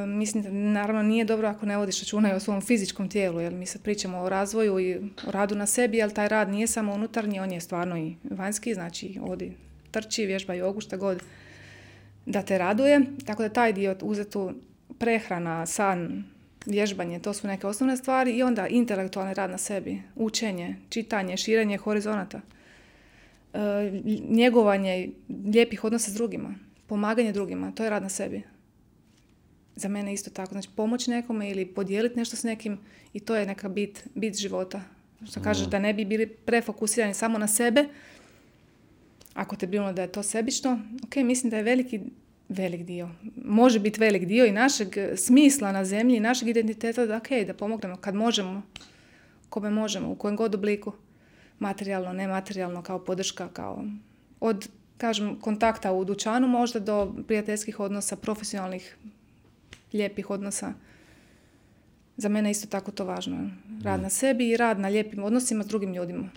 Mislim da naravno nije dobro ako ne vodiš računa i o svom fizičkom tijelu, jer mi sad pričamo o razvoju i o radu na sebi, ali taj rad nije samo unutarnji, on je stvarno i vanjski, znači odi trči, vježba jogu, šta god da te raduje. Tako da taj dio uzetu prehrana, san, vježbanje, to su neke osnovne stvari i onda intelektualni rad na sebi, učenje, čitanje, širenje horizonata, njegovanje lijepih odnosa s drugima, pomaganje drugima, to je rad na sebi. Za mene isto tako, znači pomoć nekome ili podijeliti nešto s nekim i to je neka bit života. Što kažeš da ne bi bili prefokusirani samo na sebe, ako te brinulo da je to sebično, ok, mislim da je velik dio. Može biti velik dio i našeg smisla na zemlji, našeg identiteta da da pomognemo kad možemo, kome možemo, u kojem god obliku. Materijalno, nematerijalno, kao podrška, kao od, kažem, kontakta u dućanu možda do prijateljskih odnosa, profesionalnih, lijepih odnosa. Za mene isto tako to važno. Rad na sebi i rad na lijepim odnosima s drugim ljudima.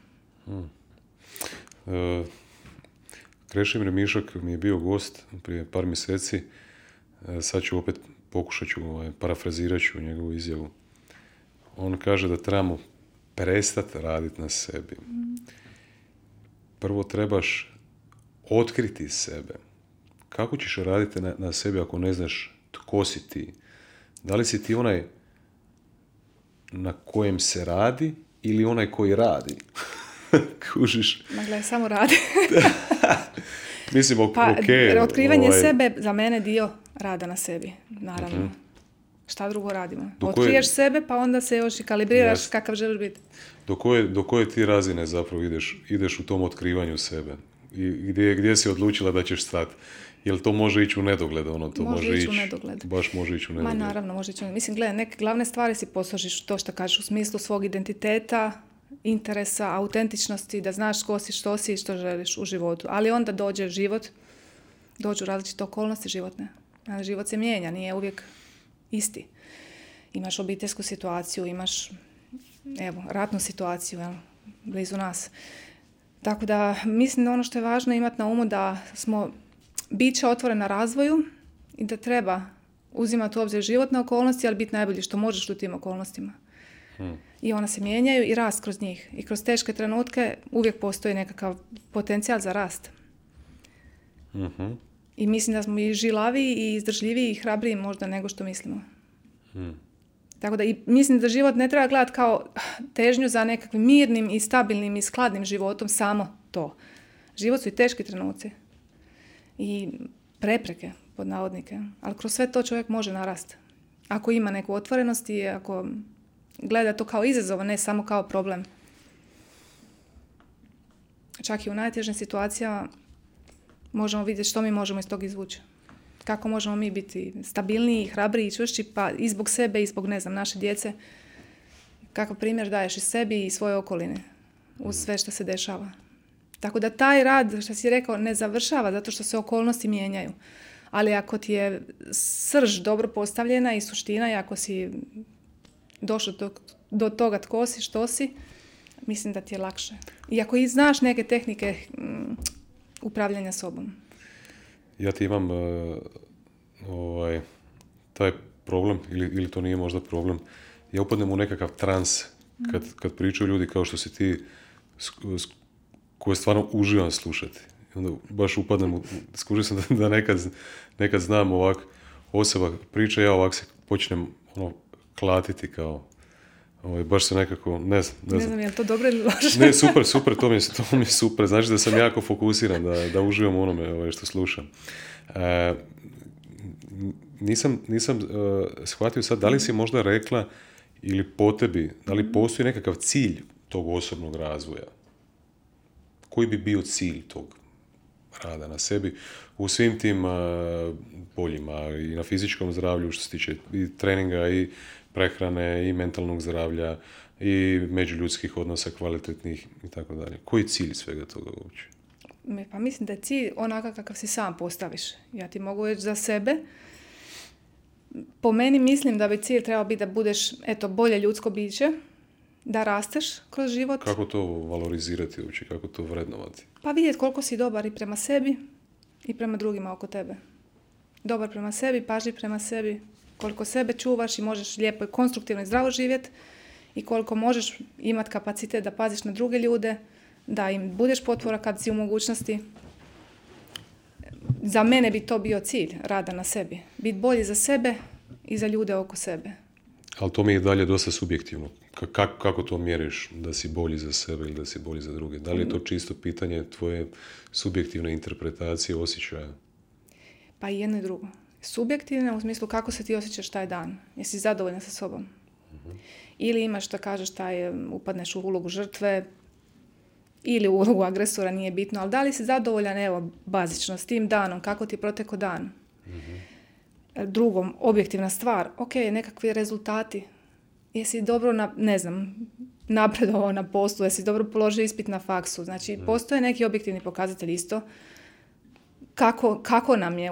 Krešimir Mišak mi je bio gost prije par mjeseci. Sad ću opet pokušat ću, parafrazirat ću njegovu izjavu. On kaže da trebamo prestati raditi na sebi. Prvo trebaš otkriti sebe. Kako ćeš raditi na sebi ako ne znaš tko si ti? Da li si ti onaj na kojem se radi ili onaj koji radi? Kužiš? Gledaj, samo radi. Mislim, otkrivanje sebe za mene dio rada na sebi, naravno. Uh-huh. Šta drugo radimo? Otkriješ sebe, pa onda se još i kalibriraš kakav želiš biti. Do koje ti razine zapravo ideš u tom otkrivanju sebe? I gdje si odlučila da ćeš stati? Jel to može ići u nedogled? Može ići u nedogled. Baš može ići u nedogled. Ma naravno, može ići u nedogled. Mislim, gledaj, neke glavne stvari si posložiš to što kažeš u smislu svog identiteta, interesa, autentičnosti, da znaš ko si, što si i što želiš u životu. Ali onda dođe život, dođu različite okolnosti životne. Život se mijenja, nije uvijek isti. Imaš obiteljsku situaciju, imaš ratnu situaciju blizu nas. Tako da mislim da ono što je važno imati na umu da smo bića otvorena razvoju i da treba uzimati u obzir životne okolnosti, ali biti najbolji što možeš u tim okolnostima. I ona se mijenjaju i rast kroz njih. I kroz teške trenutke uvijek postoji nekakav potencijal za rast. Uh-huh. I mislim da smo i žilaviji i izdržljiviji i hrabriji možda nego što mislimo. Tako da i mislim da život ne treba gledati kao težnju za nekakvim mirnim i stabilnim i skladnim životom, samo to. Život su i teški trenuci. I prepreke, pod navodnike. Ali kroz sve to čovjek može narasti. Ako ima neku otvorenost i ako gleda to kao izazov, a ne samo kao problem. Čak i u najtežim situacijama možemo vidjeti što mi možemo iz toga izvući. Kako možemo mi biti stabilniji, hrabriji i čvršći, pa i zbog sebe i zbog, naše djece. Kakav primjer daješ i sebi i svoje okoline uz sve što se dešava. Tako da taj rad, što si rekao, ne završava zato što se okolnosti mijenjaju. Ali ako ti je srž dobro postavljena i suština i ako si došao do toga tko si, što si, mislim da ti je lakše. I ako i znaš neke tehnike upravljanja sobom. Ja ti imam taj problem, ili to nije možda problem, ja upadnem u nekakav trans kad pričaju ljudi kao što si ti, koje stvarno uživam slušati. Onda baš upadnem, skužio sam da nekad znam ovak, osoba priča, ja ovak se počnem klatiti kao baš se nekako, ne znam. Je li to dobro ili loše? Ne, super, to mi je super. Znači da sam jako fokusiran, da uživam u onome što slušam. Nisam shvatio sad, da li si možda rekla ili po tebi, da li postoji nekakav cilj tog osobnog razvoja? Koji bi bio cilj tog rada na sebi u svim tim poljima, i na fizičkom zdravlju što se tiče i treninga i prehrane i mentalnog zdravlja i međuljudskih odnosa kvalitetnih i tako dalje. Koji je cilj svega toga uopće? Pa mislim da je cilj onakav kakav si sam postaviš. Ja ti mogu reći za sebe. Po meni mislim da bi cilj trebao biti da budeš bolje ljudsko biće, da rasteš kroz život. Kako to valorizirati uopće, kako to vrednovati? Pa vidjeti koliko si dobar i prema sebi i prema drugima oko tebe. Dobar prema sebi, pažljiv prema sebi, koliko sebe čuvaš i možeš lijepo i konstruktivno i zdravo živjeti i koliko možeš imati kapacitet da paziš na druge ljude, da im budeš potvora kad si u mogućnosti. Za mene bi to bio cilj rada na sebi. Biti bolji za sebe i za ljude oko sebe. Ali to mi je dalje dosta subjektivno. Kako to mjeriš da si bolji za sebe ili da si bolji za druge? Da li je to čisto pitanje tvoje subjektivne interpretacije, osjećaja? Pa i jedno i drugo. Subjektivna u smislu kako se ti osjećaš taj dan. Jesi zadovoljna sa sobom? Uh-huh. Ili imaš što kažeš upadneš u ulogu žrtve ili u ulogu agresora, nije bitno, ali da li si zadovoljan, bazično, s tim danom, kako ti je protekao dan? Uh-huh. Drugom, objektivna stvar, nekakvi rezultati. Jesi dobro, napredovao na poslu, jesi dobro položio ispit na faksu. Znači, postoje neki objektivni pokazatelj isto. Kako nam je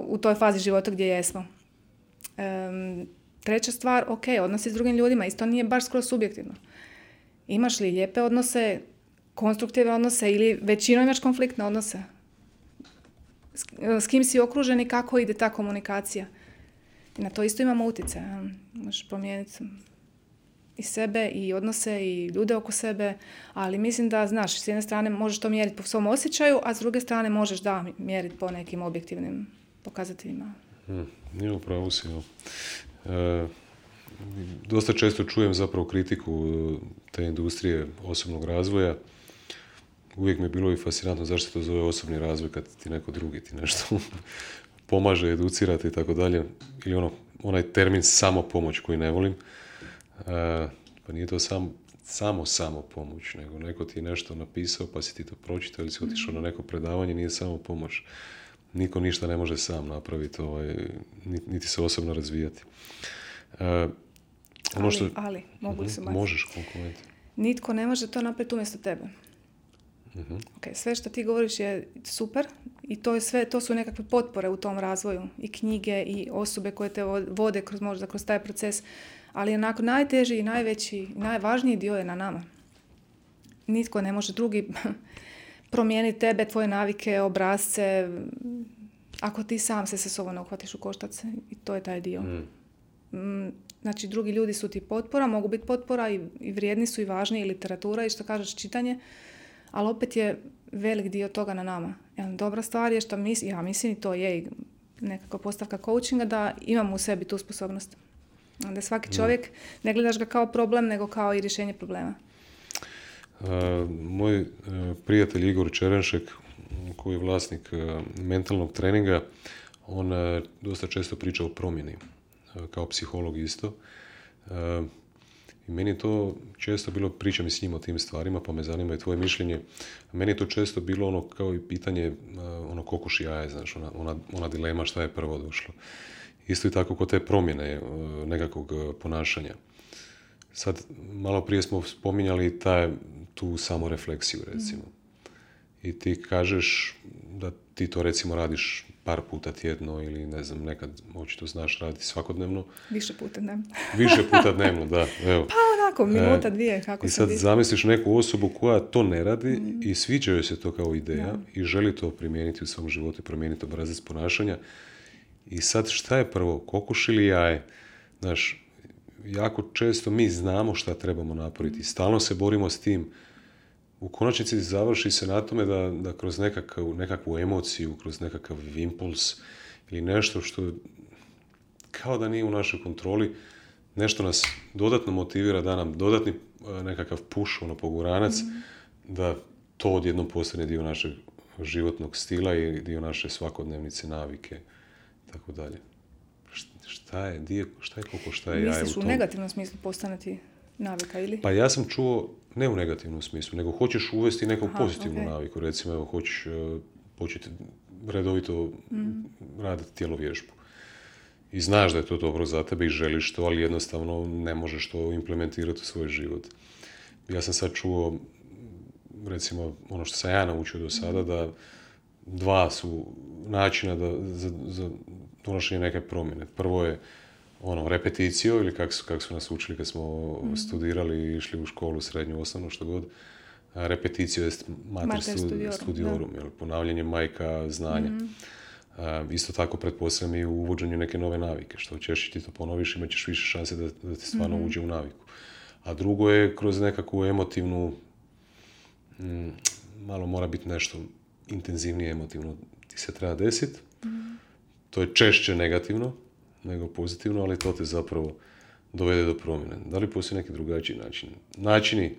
u toj fazi života gdje jesmo. Treća stvar, odnosi s drugim ljudima, isto nije baš skroz subjektivno. Imaš li lijepe odnose, konstruktivne odnose ili većinom imaš konfliktne odnose? S kim si okružen i kako ide ta komunikacija? I na to isto imamo utjecaj. Možeš promijeniti i sebe, i odnose, i ljude oko sebe, ali mislim da, znaš, s jedne strane možeš to mjeriti po svom osjećaju, a s druge strane možeš mjeriti po nekim objektivnim pokazateljima. Nije upravo si. Dosta često čujem zapravo kritiku te industrije osobnog razvoja. Uvijek mi je bilo i fascinantno zašto to zove osobni razvoj kad ti neko drugi ti nešto pomaže, educirati i tako dalje. Ili onaj termin samopomoć koji ne volim. Pa nije to samo pomoć, nego neko ti je nešto napisao pa si ti to pročitao ili si otišao na neko predavanje, nije samo pomoć. Niko ništa ne može sam napraviti, niti se osobno razvijati. Ali, mogu li se baciti? Možeš, koliko. Nitko ne može to napraviti umjesto tebe. Uh-huh. Sve što ti govoriš je super i to su nekakve potpore u tom razvoju. I knjige i osobe koje te vode kroz taj proces. Ali onako najteži i najveći i najvažniji dio je na nama. Nitko ne može drugi promijeniti tebe, tvoje navike, obrasce, ako ti sam se sa sobom ne uhvatiš u koštac. I to je taj dio. Znači, drugi ljudi su ti potpora, mogu biti potpora i vrijedni su i važni, i literatura i što kažeš čitanje, ali opet je velik dio toga na nama. Dobra stvar je što ja mislim i to je nekakva postavka coachinga da imamo u sebi tu sposobnost. Da svaki čovjek ne gledaš ga kao problem, nego kao i rješenje problema. Moj prijatelj Igor Čerenšek, koji je vlasnik mentalnog treninga, on dosta često priča o promjeni, kao psiholog isto. I meni je to često bilo, pričam i s njim o tim stvarima, pa me zanima i tvoje mišljenje. Meni je to često bilo kao i pitanje kokoš i jaje, znaš, ona dilema šta je prvo došlo. Isto i tako kod te promjene nekakvog ponašanja. Sad, malo prije smo spominjali tu samorefleksiju, recimo. I ti kažeš da ti to, recimo, radiš par puta tjedno ili, ne znam, nekad očito znaš raditi svakodnevno. Više puta dnevno, da. Evo. Pa onako, minuta, dvije, kako i sad zamisliš neku osobu koja to ne radi i sviđa joj se to kao ideja i želi to primijeniti u svom životu i promijeniti obrazac ponašanja. I sad šta je prvo, kokoš ili jaje? Znaš, jako često mi znamo šta trebamo napraviti. Stalno se borimo s tim. U konačnici završi se na tome da kroz nekakvu emociju, kroz nekakav impuls ili nešto što kao da nije u našoj kontroli, nešto nas dodatno motivira, da nam dodatni nekakav push, poguranac, da to odjednom postane dio našeg životnog stila i dio naše svakodnevnice, navike, tako dalje. Šta je koliko, šta je jaje u tom? Misliš u negativnom smislu postanati navika ili? Pa ja sam čuo, ne u negativnom smislu, nego hoćeš uvesti neku pozitivnu naviku. Recimo, evo, hoćeš početi redovito raditi tjelovježbu. I znaš da je to dobro za tebe i želiš to, ali jednostavno ne možeš to implementirati u svoj život. Ja sam sad čuo, recimo, ono što sam ja naučio do sada, da dva su načina za donošenje neke promjene. Prvo je repeticijo, ili kako su nas učili kad smo studirali i išli u školu, srednju, osnovnu, što god. Repeticijo je mater studiorum, ponavljanje majka znanja. Isto tako pretpostavljam i u uvođenju neke nove navike. Što češće ti to ponoviš, imat ćeš više šanse da ti stvarno uđe u naviku. A drugo je kroz nekakvu emotivnu, malo mora biti nešto intenzivnije emotivno ti se treba desiti. To je češće negativno nego pozitivno, ali to te zapravo dovede do promjene. Da li postoji neki drugačiji način? Načini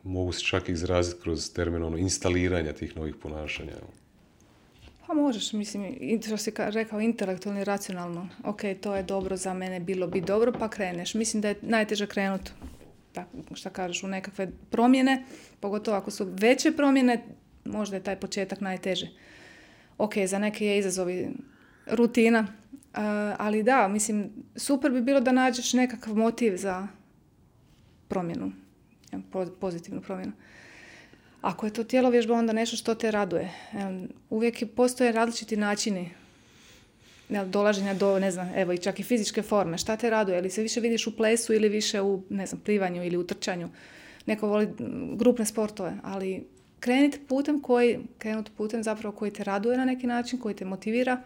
mogu se čak izraziti kroz termin instaliranja tih novih ponašanja. Pa možeš, mislim, što si rekao, intelektualno i racionalno. Ok, to je dobro za mene, bilo bi dobro, pa kreneš. Mislim da je najteže krenuti, šta kažeš, u nekakve promjene, pogotovo ako su veće promjene, možda je taj početak najteži. Ok, za neke je izazovi rutina, ali da, mislim, super bi bilo da nađeš nekakav motiv za promjenu, pozitivnu promjenu. Ako je to tjelovježba, onda nešto što te raduje. Uvijek postoje različiti načini dolaženja do, ne znam, evo i čak i fizičke forme. Šta te raduje? Ili se više vidiš u plesu ili više u, ne znam, plivanju ili u trčanju. Neko voli grupne sportove, ali krenuti putem zapravo koji te raduje na neki način, koji te motivira.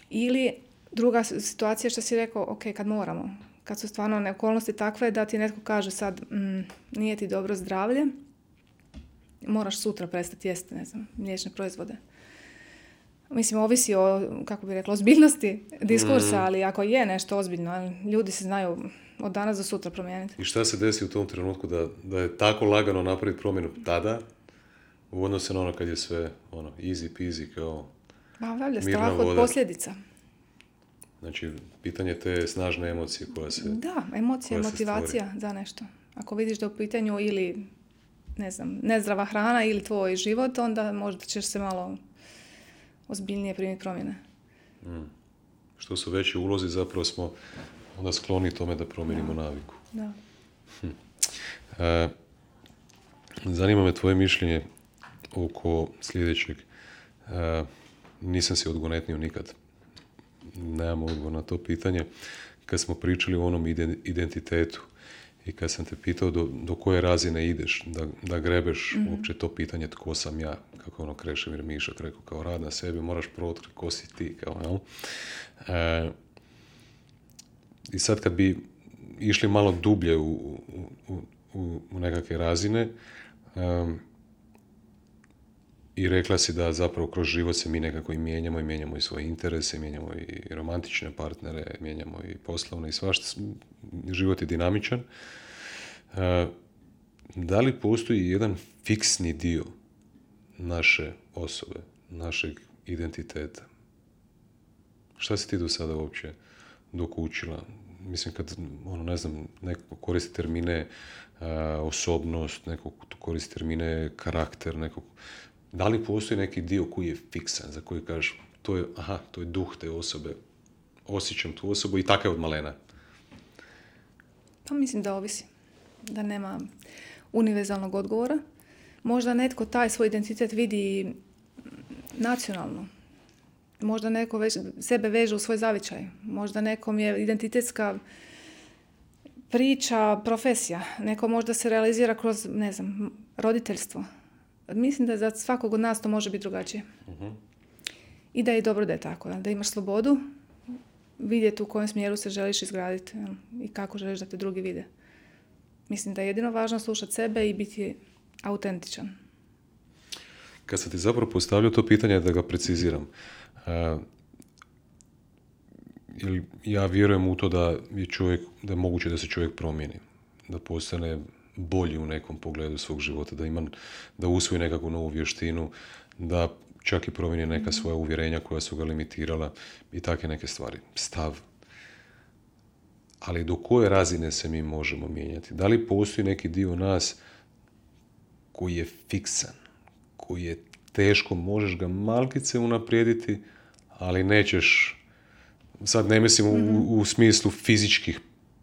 Ili druga situacija što si rekao, ok, kad moramo. Kad su stvarno okolnosti takve da ti netko kaže sad nije ti dobro zdravlje, moraš sutra prestati jesti, ne znam, mliječne proizvode. Mislim, ovisi o, kako bih rekla, ozbiljnosti diskursa, ali ako je nešto ozbiljno, ljudi se znaju od danas do sutra promijeniti. I šta se desi u tom trenutku da je tako lagano napraviti promjenu tada, u odnosu na kad je sve easy peasy, kao valjda strah od posljedica. Znači, pitanje te snažne emocije koja se... Da, emocija, motivacija za nešto. Ako vidiš da je u pitanju ili, ne znam, nezdrava hrana ili tvoj život, onda možda ćeš se malo ozbiljnije primiti promjene. Što su veći ulozi, zapravo smo onda skloni tome da promijenimo naviku. Da. Zanima me tvoje mišljenje oko sljedećeg. Nisam si odgonetnio nikad. Nemam odgovor na to pitanje. Kad smo pričali o onom identitetu i kad sam te pitao do koje razine ideš, da grebeš uopće to pitanje tko sam ja, kako Krešimir Mišak rekao, kao rad na sebi, moraš protkriti ko si ti. I sad kad bi išli malo dublje u nekakve razine, i rekla si da zapravo kroz život se mi nekako i mijenjamo i svoje interese, mijenjamo i romantične partnere, mijenjamo i poslovne i svašta. Život je dinamičan. Da li postoji jedan fiksni dio naše osobe, našeg identiteta? Šta si ti do sada uopće dokučila? Mislim, kad, ne znam, neko koristi termine osobnost, neko koristi termine karakter, da li postoji neki dio koji je fiksan, za koji kažeš, to je duh te osobe, osjećam tu osobu i tako je od malena? Pa mislim da ovisi, da nema univerzalnog odgovora. Možda netko taj svoj identitet vidi nacionalno. Možda neko sebe veže u svoj zavičaj. Možda nekom je identitetska priča, profesija. Neko možda se realizira kroz, ne znam, roditeljstvo. Mislim da za svakog od nas to može biti drugačije. I da je dobro da je tako. Da imaš slobodu, vidjeti u kojem smjeru se želiš izgraditi i kako želiš da te drugi vide. Mislim da je jedino važno slušati sebe i biti autentičan. Kad sam ti zapravo postavljao to pitanje, da ga preciziram, ja vjerujem u to da je moguće da se čovjek promijeni, da postane bolji u nekom pogledu svog života, da usvoji nekakvu novu vještinu, da čak i promijeni neka svoja uvjerenja koja su ga limitirala i takve neke stvari. Stav. Ali do koje razine se mi možemo mijenjati? Da li postoji neki dio nas koji je fiksan, koji je teško, možeš ga malkice unaprijediti, ali nećeš, sad ne mislim u smislu fizičkih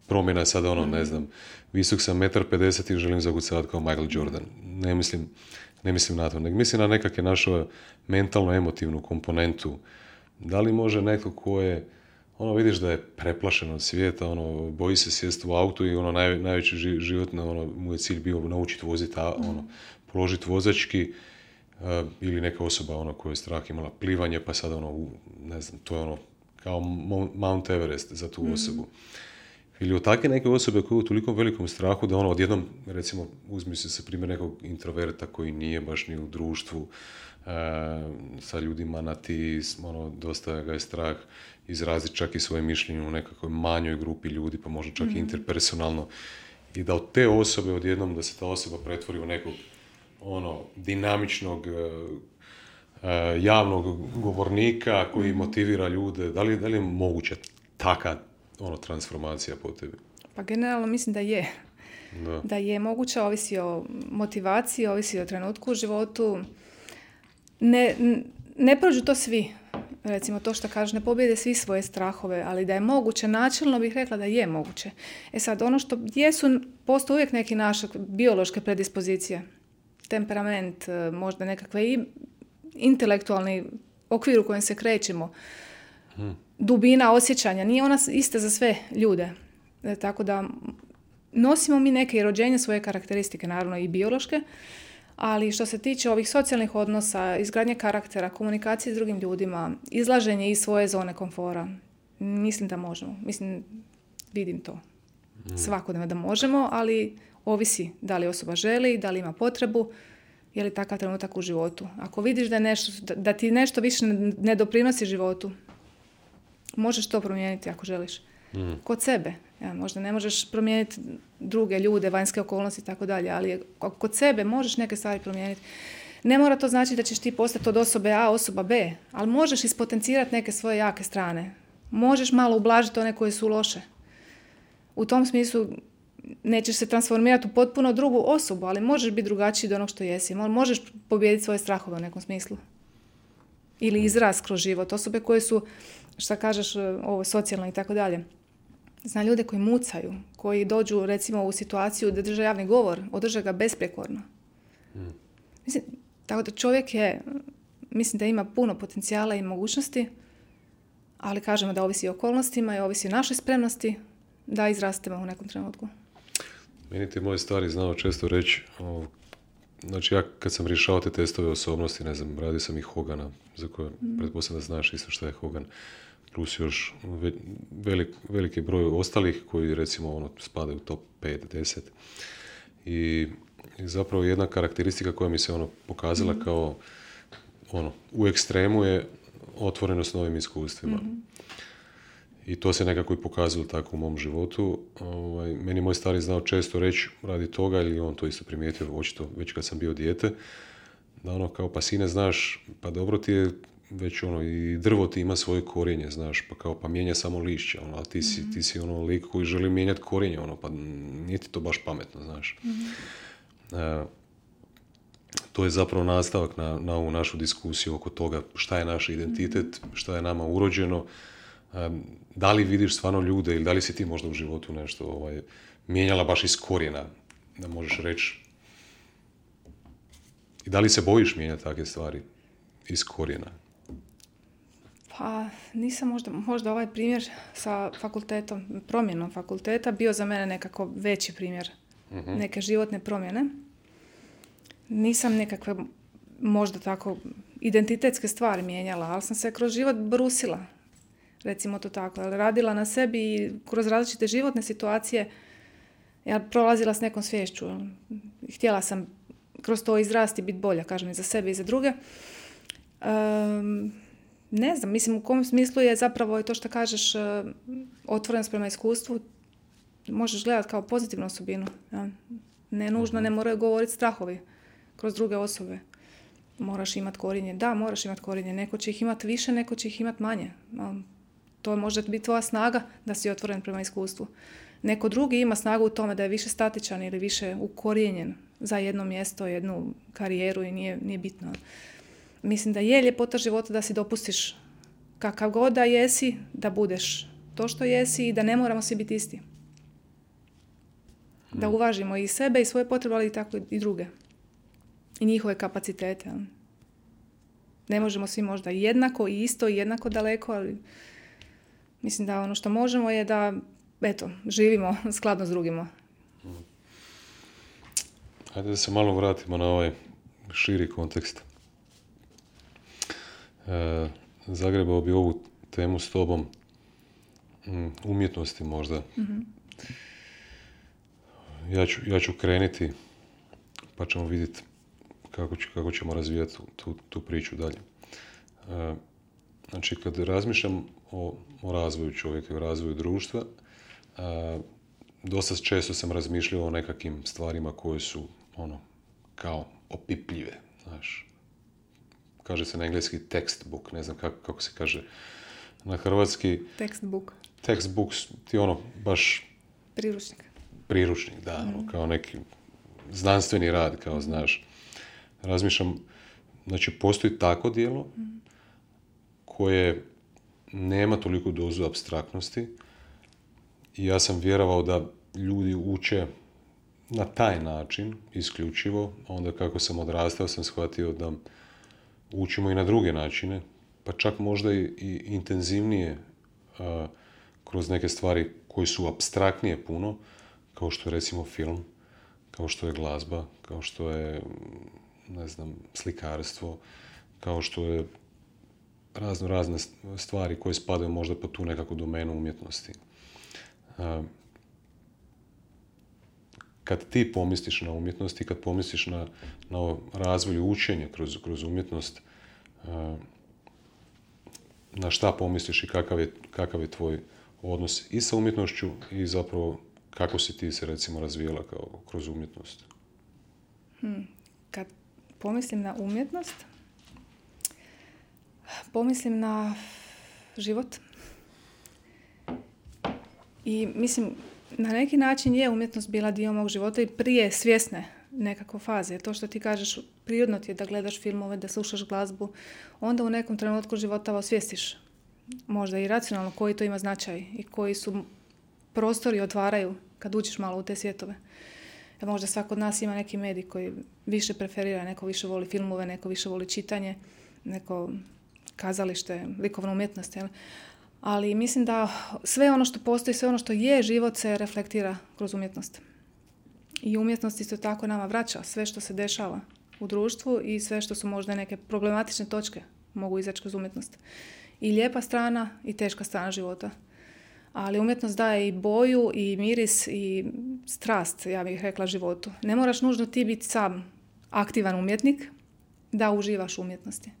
promjena, sad ne znam, visok sam 1,50 m i želim zakucavati kao Michael Jordan. Ne mislim na to, nego mislim na nekakve našu mentalno-emotivnu komponentu. Da li može neko ko je, vidiš da je preplašen od svijeta, boji se sjesti u auto i najveći život, mu je cilj bio naučiti voziti, položiti vozački, ili neka osoba koja je strah imala plivanje, pa sad ne znam, to je kao Mount Everest za tu osobu. Ili od takve neke osobe koje je u toliko velikom strahu da odjednom, recimo, uzmi se primjer nekog introverta koji nije baš ni u društvu sa ljudima na ti, dosta ga je strah izraziti čak i svoje mišljenje u nekakvoj manjoj grupi ljudi, pa možda čak i interpersonalno. I da od te osobe odjednom, da se ta osoba pretvori u nekog dinamičnog javnog govornika koji motivira ljude. Da li je moguća taka transformacija po tebi? Pa generalno mislim da je. Da je moguća, ovisi o motivaciji, ovisi o trenutku u životu. Ne prođu to svi. Recimo to što kažeš, ne pobjede svi svoje strahove, ali da je moguće, načelno bih rekla da je moguće. sad, ono što postoje uvijek neke naše biološke predispozicije. Temperament, možda nekakve i intelektualni okvir u kojem se krećemo. Dubina osjećanja, nije ona ista za sve ljude. Tako da nosimo mi neke i rođenje svoje karakteristike, naravno i biološke, ali što se tiče ovih socijalnih odnosa, izgradnje karaktera, komunikacije s drugim ljudima, izlaženje iz svoje zone komfora, mislim da možemo. Vidim to svakodnevno da možemo, ali ovisi da li osoba želi, da li ima potrebu, je li takav trenutak u životu. Ako vidiš da ti nešto više ne doprinosi životu, možeš to promijeniti ako želiš. Kod sebe. Možda ne možeš promijeniti druge ljude, vanjske okolnosti i tako dalje, ali kod sebe možeš neke stvari promijeniti. Ne mora to znači da ćeš ti postati od osobe A osoba B, ali možeš ispotencirati neke svoje jake strane. Možeš malo ublažiti one koje su loše. U tom smislu nećeš se transformirati u potpuno drugu osobu, ali možeš biti drugačiji od onog što jesi. Možeš pobijediti svoje strahove u nekom smislu. Ili izraz kroz život. Osobe koje su, šta kažeš, socijalno i tako dalje. Zna ljude koji mucaju, koji dođu recimo u situaciju da drže javni govor, održe ga besprijekorno. Tako da čovjek mislim da ima puno potencijala i mogućnosti, ali kažemo da ovisi o okolnostima i ovisi o našoj spremnosti da izrastemo u nekom trenutku. Meni ti moj stari znao često reći, znači ja kad sam rješavao te testove osobnosti, ne znam, radio sam i Hogana, za koje pretpostavljam da znaš isto što je Hogan, plus još veliki broj ostalih koji recimo spadaju u top 5-10. I zapravo jedna karakteristika koja mi se pokazala kao u ekstremu je otvorenost novim iskustvima. I to se nekako i pokazalo tako u mom životu. Meni moj stari znao često reći radi toga, ili on to isto primijetio očito već kad sam bio dijete, da kao pa sine znaš, pa dobro ti je već i drvo ti ima svoje korijenje, znaš, pa mijenja samo lišće, ali ti si lik koji želi mijenjati korijenje, pa nije ti to baš pametno, znaš. To je zapravo nastavak na ovu našu diskusiju oko toga šta je naš identitet, šta je nama urođeno, da li vidiš stvarno ljude ili da li si ti možda u životu nešto mijenjala baš iz korijena, da možeš reći. I da li se bojiš mijenjati takve stvari iz korijena? Pa nisam možda ovaj primjer sa fakultetom, promjenom fakulteta bio za mene nekako veći primjer neke životne promjene. Nisam nekakve možda tako identitetske stvari mijenjala, ali sam se kroz život brusila, recimo to tako, radila na sebi i kroz različite životne situacije ja prolazila s nekom sviješću. Htjela sam kroz to izrasti, biti bolja, kažem, i za sebe i za druge. ne znam, mislim u kom smislu je zapravo to što kažeš otvorenost prema iskustvu, možeš gledati kao pozitivnu osobinu. Ja? Ne nužno, ne moraju govoriti strahovi kroz druge osobe. Moraš imati korijenje. Da, moraš imati korijenje. Neko će ih imati više, neko će ih imati manje. To može biti tvoja snaga da si otvoren prema iskustvu. Neko drugi ima snagu u tome da je više statičan ili više ukorijenjen za jedno mjesto, jednu karijeru i nije bitno. Mislim da je ljepota života da si dopustiš kakav god da jesi, da budeš to što jesi i da ne moramo svi biti isti. Da uvažimo i sebe i svoje potrebe, ali i tako i druge. I njihove kapacitete. Ne možemo svi možda jednako i isto i jednako daleko, ali mislim da ono što možemo je da živimo skladno s drugima. Hajde da se malo vratimo na ovaj širi kontekst. Zagrebao bi ovu temu s tobom umjetnosti možda. Mm-hmm. Ja ću krenuti pa ćemo vidjeti kako ćemo razvijati tu priču dalje. Znači, kad razmišljam o razvoju čovjeka, o razvoju društva, dosta često sam razmišljao o nekakvim stvarima koje su kao opipljive, znaš. Kaže se na engleski textbook, ne znam kako se kaže na hrvatski. Textbook ti baš priručnik, da, kao neki znanstveni rad, kao znaš. Razmišljam, znači postoji tako djelo koje nema toliku dozu apstraktnosti i ja sam vjerovao da ljudi uče na taj način, isključivo, a onda kako sam odrastao sam shvatio da učimo i na druge načine, pa čak možda i intenzivnije kroz neke stvari koje su apstraktnije puno, kao što je recimo film, kao što je glazba, kao što je, ne znam, slikarstvo, kao što je razne stvari koje spadaju možda po tu nekakvu domenu umjetnosti. Kad ti pomisliš na umjetnost i kad pomisliš na razvoj učenja kroz umjetnost, na šta pomisliš i kakav je tvoj odnos i sa umjetnošću i zapravo kako si ti se recimo razvijela kroz umjetnost? Kad pomislim na umjetnost, pomislim na život. I mislim, na neki način je umjetnost bila dio mog života i prije svjesne nekakve faze. To što ti kažeš, prirodno ti je da gledaš filmove, da slušaš glazbu, onda u nekom trenutku života osvijestiš možda i racionalno koji to ima značaj i koji su prostori otvaraju kad uđeš malo u te svjetove. Možda svako od nas ima neki medij koji više preferira, neko više voli filmove, neko više voli čitanje, neko kazalište, likovnu umjetnost. Jel? Ali mislim da sve ono što postoji, sve ono što je život se reflektira kroz umjetnost. I umjetnost isto tako nama vraća sve što se dešava u društvu i sve što su možda neke problematične točke mogu izaći kroz umjetnost. I lijepa strana i teška strana života. Ali umjetnost daje i boju, i miris, i strast, ja bih rekla, životu. Ne moraš nužno ti biti sam aktivan umjetnik da uživaš u umjetnosti.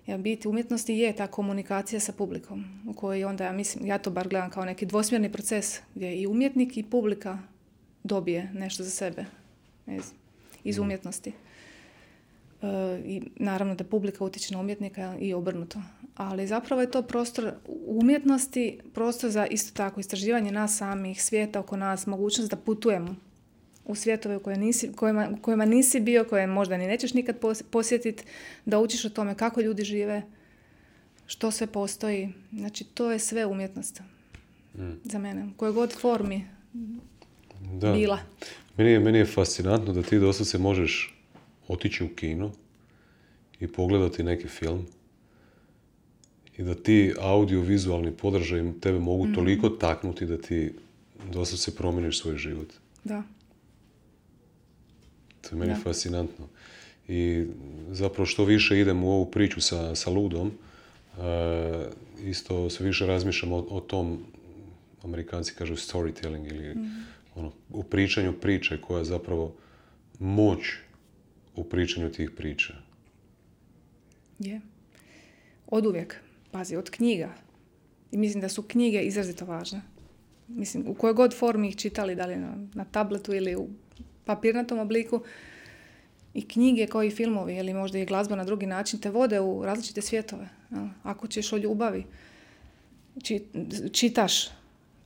Ja, biti umjetnosti je ta komunikacija sa publikom, u kojoj onda, ja to bar gledam kao neki dvosmjerni proces, gdje i umjetnik i publika dobije nešto za sebe iz umjetnosti. I naravno da publika utječe na umjetnika i obrnuto. Ali zapravo je to prostor umjetnosti, prostor za isto tako istraživanje nas samih, svijeta oko nas, mogućnost da putujemo u svijetove u kojima nisi bio, koje možda ni nećeš nikad posjetiti, da učiš o tome kako ljudi žive, što sve postoji. Znači, to je sve umjetnost za mene, u kojoj god formi bila. Meni je fascinantno da ti doslovce možeš otići u kino i pogledati neki film i da ti audio-vizualni podržaj tebe mogu toliko taknuti da ti doslovce promijeniš svoj život. Da. To je meni fascinantno. I zapravo što više idem u ovu priču sa ludom, isto sve više razmišljam o tom, Amerikanci kažu storytelling, ili u pričanju priče koja je zapravo moć u pričanju tih priča. Je. Oduvijek. Pazi, od knjiga. I mislim da su knjige izrazito važne. Mislim, u kojoj god formi ih čitali, da li na tabletu ili u papirnatom obliku, i knjige kao i filmovi ili možda i glazba na drugi način te vode u različite svjetove. Ako ćeš o ljubavi, čitaš,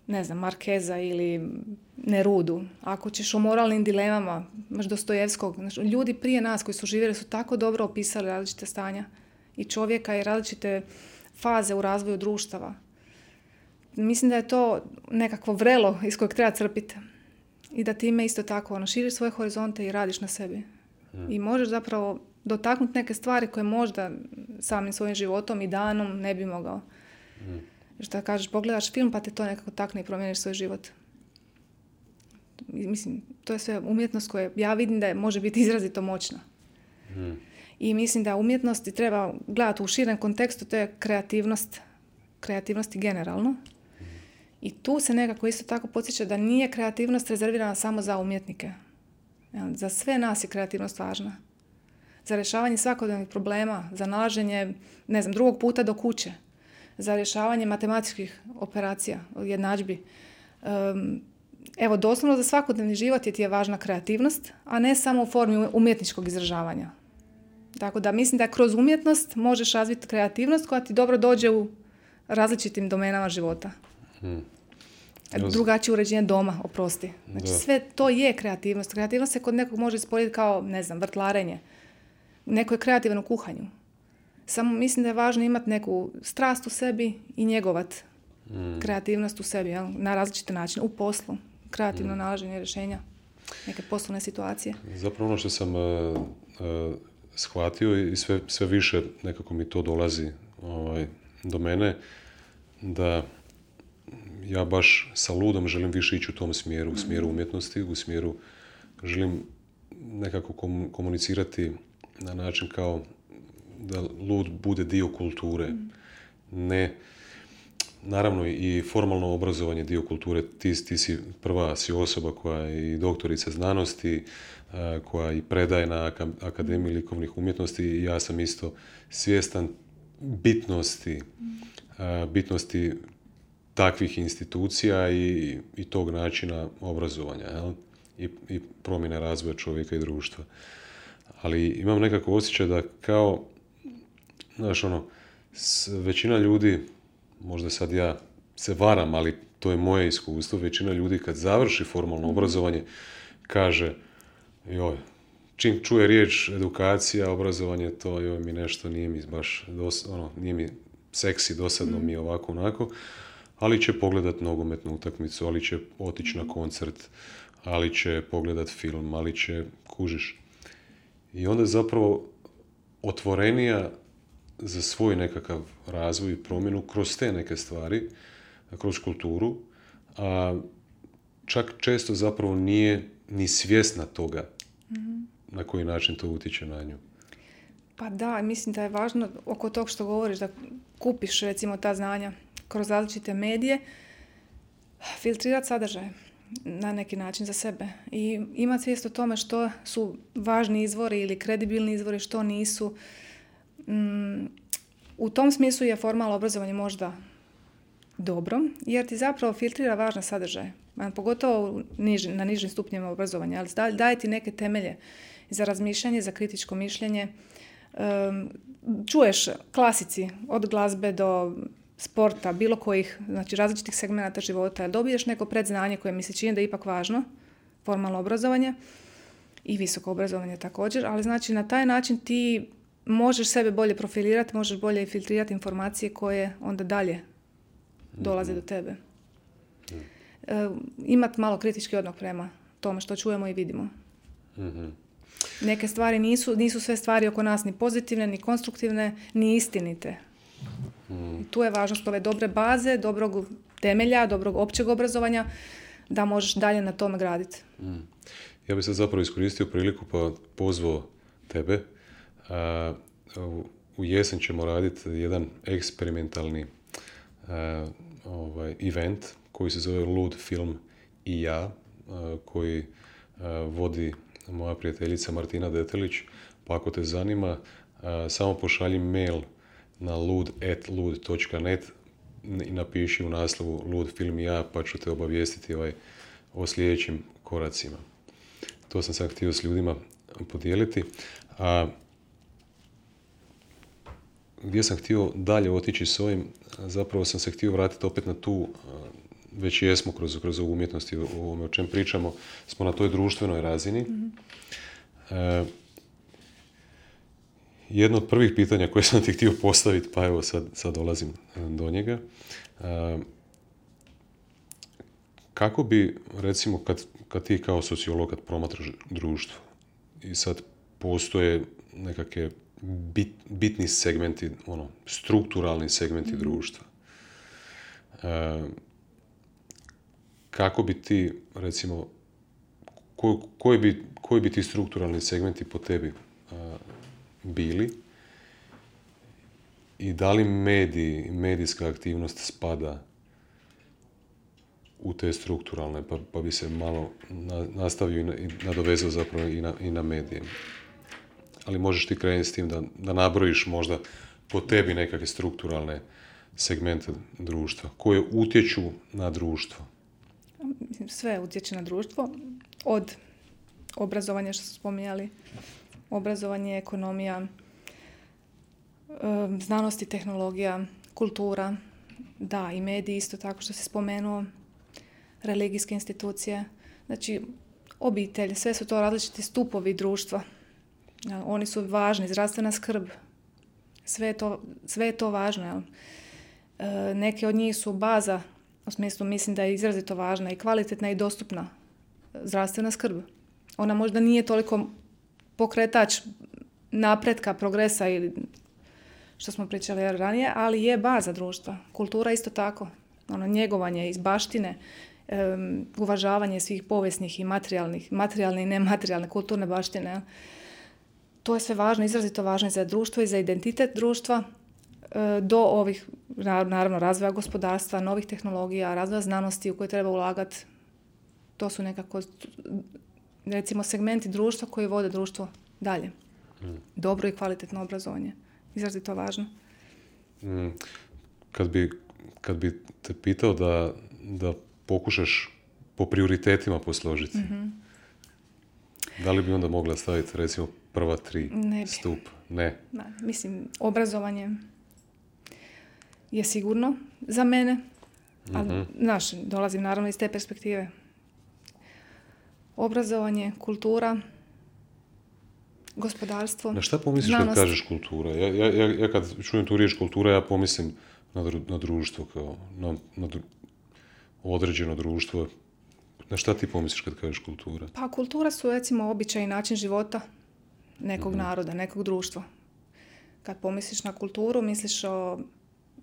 ne znam, Markeza ili Nerudu. Ako ćeš o moralnim dilemama, imaš Dostojevskog. Znači, ljudi prije nas koji su živjeli su tako dobro opisali različite stanja i čovjeka i različite faze u razvoju društava. Mislim da je to nekakvo vrelo iz kojeg treba crpiti. I da time isto tako širiš svoje horizonte i radiš na sebi. I možeš zapravo dotaknuti neke stvari koje možda samim svojim životom i danom ne bi mogao. Što kažeš, pogledaš film pa te to nekako takne i promijeniš svoj život. Mislim, to je sve umjetnost koja ja vidim da može biti izrazito moćna. I mislim da umjetnosti treba gledati u širem kontekstu, to je kreativnosti generalno. I tu se nekako isto tako podsjeća da nije kreativnost rezervirana samo za umjetnike. Za sve nas je kreativnost važna. Za rješavanje svakodnevnih problema, za nalaženje, ne znam, drugog puta do kuće, za rješavanje matematičkih operacija, jednadžbi. Evo, doslovno za svakodnevni život ti je važna kreativnost, a ne samo u formi umjetničkog izražavanja. Tako da mislim da kroz umjetnost možeš razviti kreativnost koja ti dobro dođe u različitim domenama života. Drugačije uređenje doma, oprosti. Znači sve to je kreativnost. Kreativnost se kod nekog može isporediti kao, ne znam, vrtlarenje. Neko je kreativan u kuhanju. Samo mislim da je važno imati neku strast u sebi i njegovat kreativnost u sebi, na različite načine, u poslu. Kreativno nalaženje rješenja, neke poslovne situacije. Zapravo ono što sam shvatio i sve više nekako mi to dolazi do mene, da ja baš sa ludom želim više ići u tom smjeru, u smjeru umjetnosti, u smjeru želim nekako komunicirati na način kao da lud bude dio kulture. Ne, naravno i formalno obrazovanje dio kulture. Ti si osoba koja je i doktorica znanosti, koja i predaje na Akademiji likovnih umjetnosti i ja sam isto svjestan bitnosti takvih institucija i tog načina obrazovanja, jel? I promjene razvoja čovjeka i društva. Ali imam nekako osjećaj da kao, znaš, većina ljudi, možda sad ja se varam, ali to je moje iskustvo, većina ljudi kad završi formalno obrazovanje kaže, joj, čim čuje riječ edukacija, obrazovanje, to mi nešto nije mi baš, nije mi seksi, dosadno mi je ovako, onako, ali će pogledat nogometnu utakmicu, ali će otići na koncert, ali će pogledat film, ali će kužiš. I onda je zapravo otvorenija za svoj nekakav razvoj i promjenu kroz te neke stvari, kroz kulturu, a čak često zapravo nije ni svjesna toga na koji način to utječe na nju. Pa da, mislim da je važno oko tog što govoriš, da kupiš recimo ta znanja kroz različite medije, filtrirati sadržaj na neki način za sebe i imati svijest o tome što su važni izvori ili kredibilni izvori, što nisu. U tom smislu je formalno obrazovanje možda dobro, jer ti zapravo filtrira važne sadržaje, pogotovo na nižim stupnjima obrazovanja, ali daje ti neke temelje za razmišljanje, za kritičko mišljenje. Čuješ klasici od glazbe do sporta, bilo kojih, znači različitih segmenata života, dobiješ neko predznanje koje mi se čini da je ipak važno, formalno obrazovanje i visoko obrazovanje također, ali znači na taj način ti možeš sebe bolje profilirati, možeš bolje filtrirati informacije koje onda dalje dolaze do tebe. Imati malo kritički odnos prema tome što čujemo i vidimo. Neke stvari nisu sve stvari oko nas ni pozitivne, ni konstruktivne, ni istinite. I tu je važnost ove dobre baze, dobrog temelja, dobrog općeg obrazovanja, da možeš dalje na tome graditi. Ja bih sad zapravo iskoristio priliku pa pozvao tebe. U jesen ćemo raditi jedan eksperimentalni event koji se zove Lud film i ja, koji vodi moja prijateljica Martina Detelić. Pa ako te zanima, samo pošalji mail na lud@lud.net i napiši u naslovu Lud film i ja, pa ću te obavijestiti o sljedećim koracima. To sam sad htio s ljudima podijeliti. A gdje sam htio dalje otići s ovim, zapravo sam se htio vratiti opet na tu, već jesmo kroz ovu umjetnost i o čem pričamo, smo na toj društvenoj razini. Jedno od prvih pitanja koje sam ti htio postaviti, pa evo sad dolazim do njega. Kako bi, recimo, kad ti kao sociolog, kad promatraš društvo i sad postoje nekakve bitni segmenti, strukturalni segmenti društva, kako bi ti, recimo, koji bi ti strukturalni segmenti po tebi bili i da li medijska aktivnost spada u te strukturalne, pa bi se malo nastavio i nadovezao zapravo i na medije. Ali možeš ti krenuti s tim da nabrojiš možda po tebi nekakve strukturalne segmente društva koje utječu na društvo. Sve utječe na društvo, od obrazovanja što su spominjali, obrazovanje, ekonomija, znanost i tehnologija, kultura, da, i mediji isto tako što si spomenuo, religijske institucije, znači obitelj, sve su to različiti stupovi društva. Oni su važni, zdravstvena skrb, sve je to važno. Jel? Neke od njih su baza, u smislu mislim da je izrazito važna i kvalitetna i dostupna zdravstvena skrb. Ona možda nije toliko pokretač napretka, progresa ili što smo pričali ranije, ali je baza društva. Kultura isto tako. Njegovanje iz baštine, uvažavanje svih povijesnih i materijalne i nematerijalne kulturne baštine. To je sve važno, izrazito važno i za društvo i za identitet društva, do ovih, naravno, razvoja gospodarstva, novih tehnologija, razvoja znanosti u koje treba ulagati. To su nekako, recimo, segmenti društva koji vode društvo dalje. Dobro i kvalitetno obrazovanje. Izrazito važno. Kad bi te pitao da pokušaš po prioritetima posložiti, da li bi onda mogla staviti, recimo, prva 3 stup? Ne. Mislim, obrazovanje je sigurno za mene, ali dolazim naravno iz te perspektive. Obrazovanje, kultura, gospodarstvo, na šta pomisliš znanost. Kad kažeš kultura? Ja kad čujem tu riječ kultura, ja pomislim na društvo, kao na određeno društvo. Na šta ti pomisliš kad kažeš kultura? Pa kultura su, recimo, običaj i način života nekog naroda, nekog društva. Kad pomisliš na kulturu, misliš o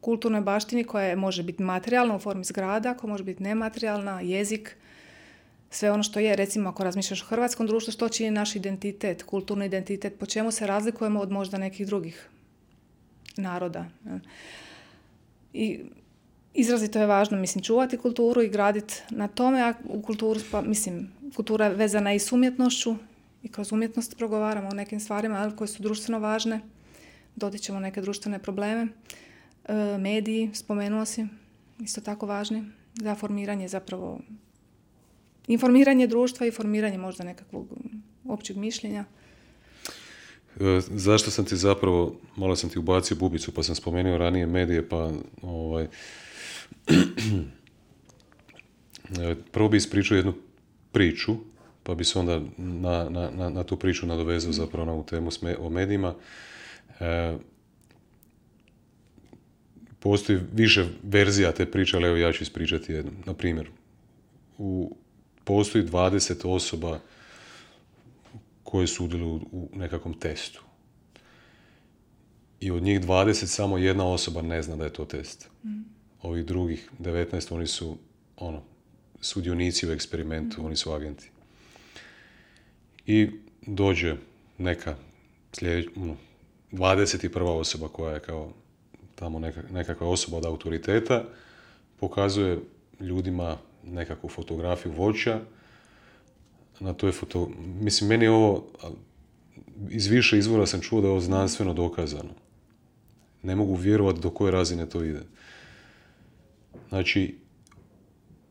kulturnoj baštini koja može biti materijalna u formi zgrada, koja može biti nematerijalna, jezik, sve ono što je, recimo, ako razmišljaš o hrvatskom društvu, što čini naš identitet, kulturni identitet, po čemu se razlikujemo od možda nekih drugih naroda. I izrazito je važno, mislim, čuvati kulturu i graditi na tome, a u kulturu, kultura je vezana i s umjetnošću i kroz umjetnost progovaramo o nekim stvarima koje su društveno važne, dotičemo neke društvene probleme. Mediji, spomenuo si, isto tako važni za formiranje, zapravo informiranje društva i formiranje možda nekakvog općeg mišljenja. Zašto sam ti zapravo, malo sam ti ubacio bubicu, pa sam spomenuo ranije medije, pa prvo bi ispričao jednu priču, pa bi se onda na tu priču nadovezao zapravo na ovu temu o medijima. Postoji više verzija te priče, ali evo ja ću ispričati jednu. Na primjer, postoji 20 osoba koje sudjeluju u nekakvom testu. I od njih 20 samo jedna osoba ne zna da je to test. Ovih drugih 19, oni su sudionici u eksperimentu, oni su agenti. I dođe neka 21. osoba koja je kao tamo nekakva osoba od autoriteta, pokazuje ljudima nekakvu fotografiju voća. Na toj mislim, meni je ovo, iz više izvora sam čuo da je ovo znanstveno dokazano. Ne mogu vjerovati do koje razine to ide. Znači,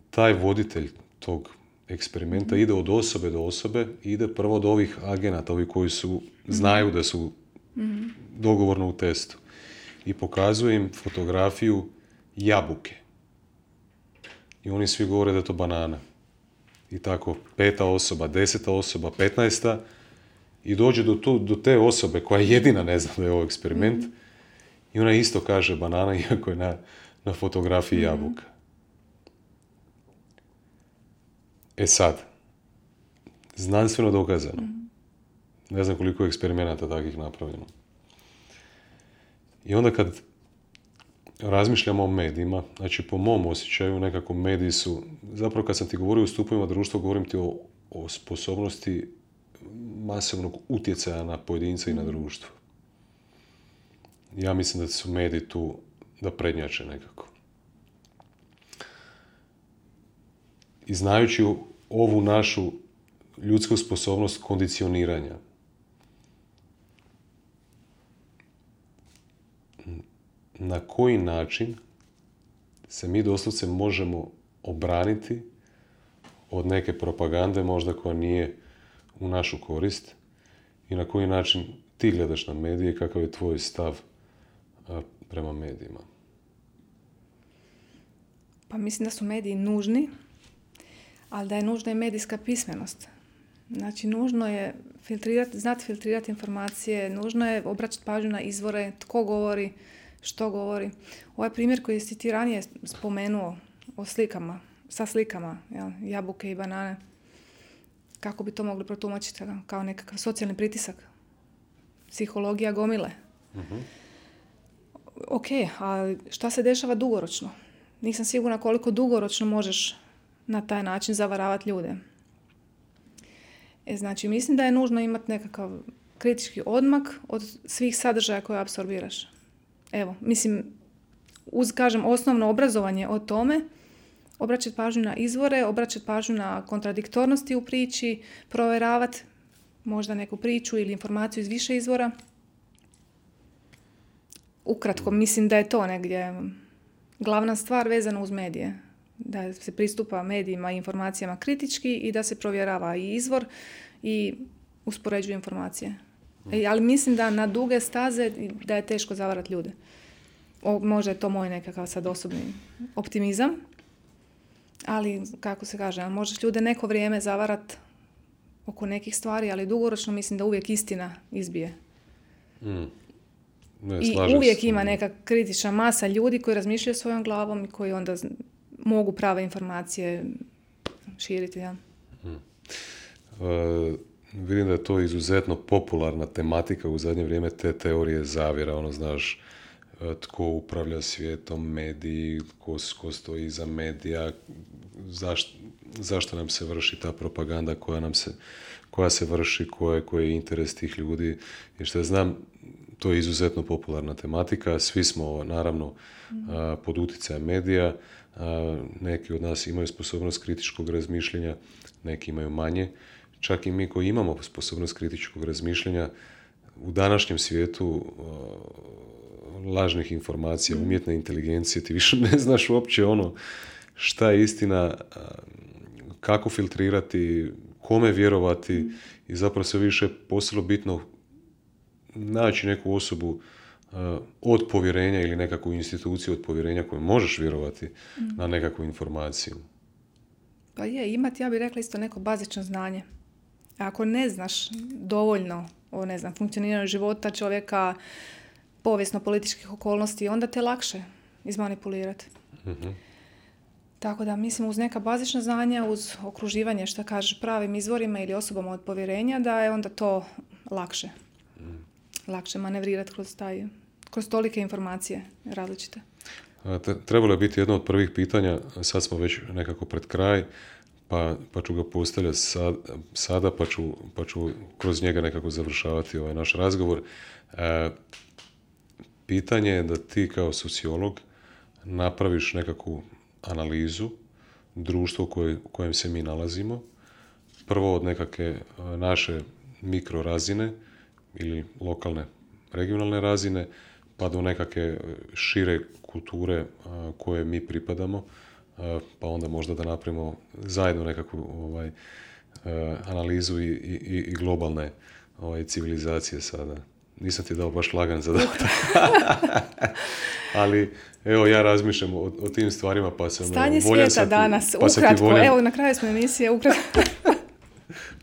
taj voditelj tog eksperimenta ide od osobe do osobe, ide prvo do ovih agenata, ovi koji znaju da su dogovorno u testu. I pokazuje im fotografiju jabuke. I oni svi govore da je to banana. I tako 5. osoba, 10. osoba, 15. I dođe do te osobe koja jedina ne zna da je ovo eksperiment i ona isto kaže banana iako je na fotografiji jabuka. E sad, znanstveno dokazano. Ne znam koliko je eksperimenata takvih napravljeno. I onda kad razmišljamo o medijima, znači po mom osjećaju nekako mediji su, zapravo kad sam ti govorio o stupovima društva, govorim ti o sposobnosti masovnog utjecaja na pojedinca i na društvo. Ja mislim da su mediji tu da prednjače nekako. I znajući ovu našu ljudsku sposobnost kondicioniranja, na koji način se mi doslovce možemo obraniti od neke propagande možda koja nije u našu korist i na koji način ti gledaš na medije i kakav je tvoj stav prema medijima? Pa mislim da su mediji nužni, ali da je nužna i medijska pismenost. Znači, nužno je znati filtrirati informacije, nužno je obraćati pažnju na izvore, tko govori, što govori. Ovaj primjer koji si ti ranije spomenuo o slikama, sa slikama, jabuke i banane, kako bi to mogli protumačiti kao nekakav socijalni pritisak, psihologija gomile. Ok, ali šta se dešava dugoročno? Nisam sigurna koliko dugoročno možeš na taj način zavaravati ljude. Znači, mislim da je nužno imati nekakav kritički odmak od svih sadržaja koje apsorbiraš. Evo, mislim, kažem, osnovno obrazovanje o tome, obraćati pažnju na izvore, obraćati pažnju na kontradiktornosti u priči, provjeravati možda neku priču ili informaciju iz više izvora. Ukratko, mislim da je to negdje glavna stvar vezana uz medije. Da se pristupa medijima i informacijama kritički i da se provjerava i izvor i uspoređuje informacije. Ali mislim da na duge staze da je teško zavarati ljude. Možda je to moj nekakav sad osobni optimizam, ali kako se kaže, možeš ljude neko vrijeme zavarati oko nekih stvari, ali dugoročno mislim da uvijek istina izbije. I uvijek ima neka kritična masa ljudi koji razmišljaju svojom glavom i koji onda mogu prave informacije širiti. Ja. Vidim da je to izuzetno popularna tematika u zadnje vrijeme, te teorije zavjera, znaš, tko upravlja svijetom, mediji, ko stoji iza medija, zašto nam se vrši ta propaganda koja se vrši, koji je interes tih ljudi. I što ja znam, to je izuzetno popularna tematika. Svi smo, naravno, pod utjecajem medija. Neki od nas imaju sposobnost kritičkog razmišljanja, neki imaju manje. Čak i mi koji imamo sposobnost kritičkog razmišljanja, u današnjem svijetu lažnih informacija, umjetne inteligencije, ti više ne znaš uopće šta je istina, kako filtrirati, kome vjerovati i zapravo sve više postalo bitno naći neku osobu od povjerenja ili nekakvu instituciju od povjerenja koju možeš vjerovati na nekakvu informaciju. Pa je, imati, ja bih rekla, isto neko bazično znanje. Ako ne znaš dovoljno o, funkcioniranju života čovjeka, povijesno-političkih okolnosti, onda te lakše izmanipulirati. Tako da, mislim, uz neka bazična znanja, uz okruživanje, što kažeš, pravim izvorima ili osobama od povjerenja, da je onda to lakše. Lakše manevrirati kroz tolike informacije različite. Trebalo je biti jedno od prvih pitanja, sad smo već nekako pred kraj, pa ću ga postavljati sada, pa ću kroz njega nekako završavati ovaj naš razgovor. Pitanje je da ti kao sociolog napraviš nekakvu analizu društva u kojem se mi nalazimo. Prvo od nekakve naše mikrorazine ili lokalne, regionalne razine, pa do nekakve šire kulture koje mi pripadamo, pa onda možda da napravimo zajedno nekakvu analizu i globalne civilizacije sada. Nisam ti dao baš lagan zadatak. Ali, evo, ja razmišljam o tim stvarima, pa sam... Stanje svijeta danas, ukratko. Evo, na kraju smo emisije, ukratko.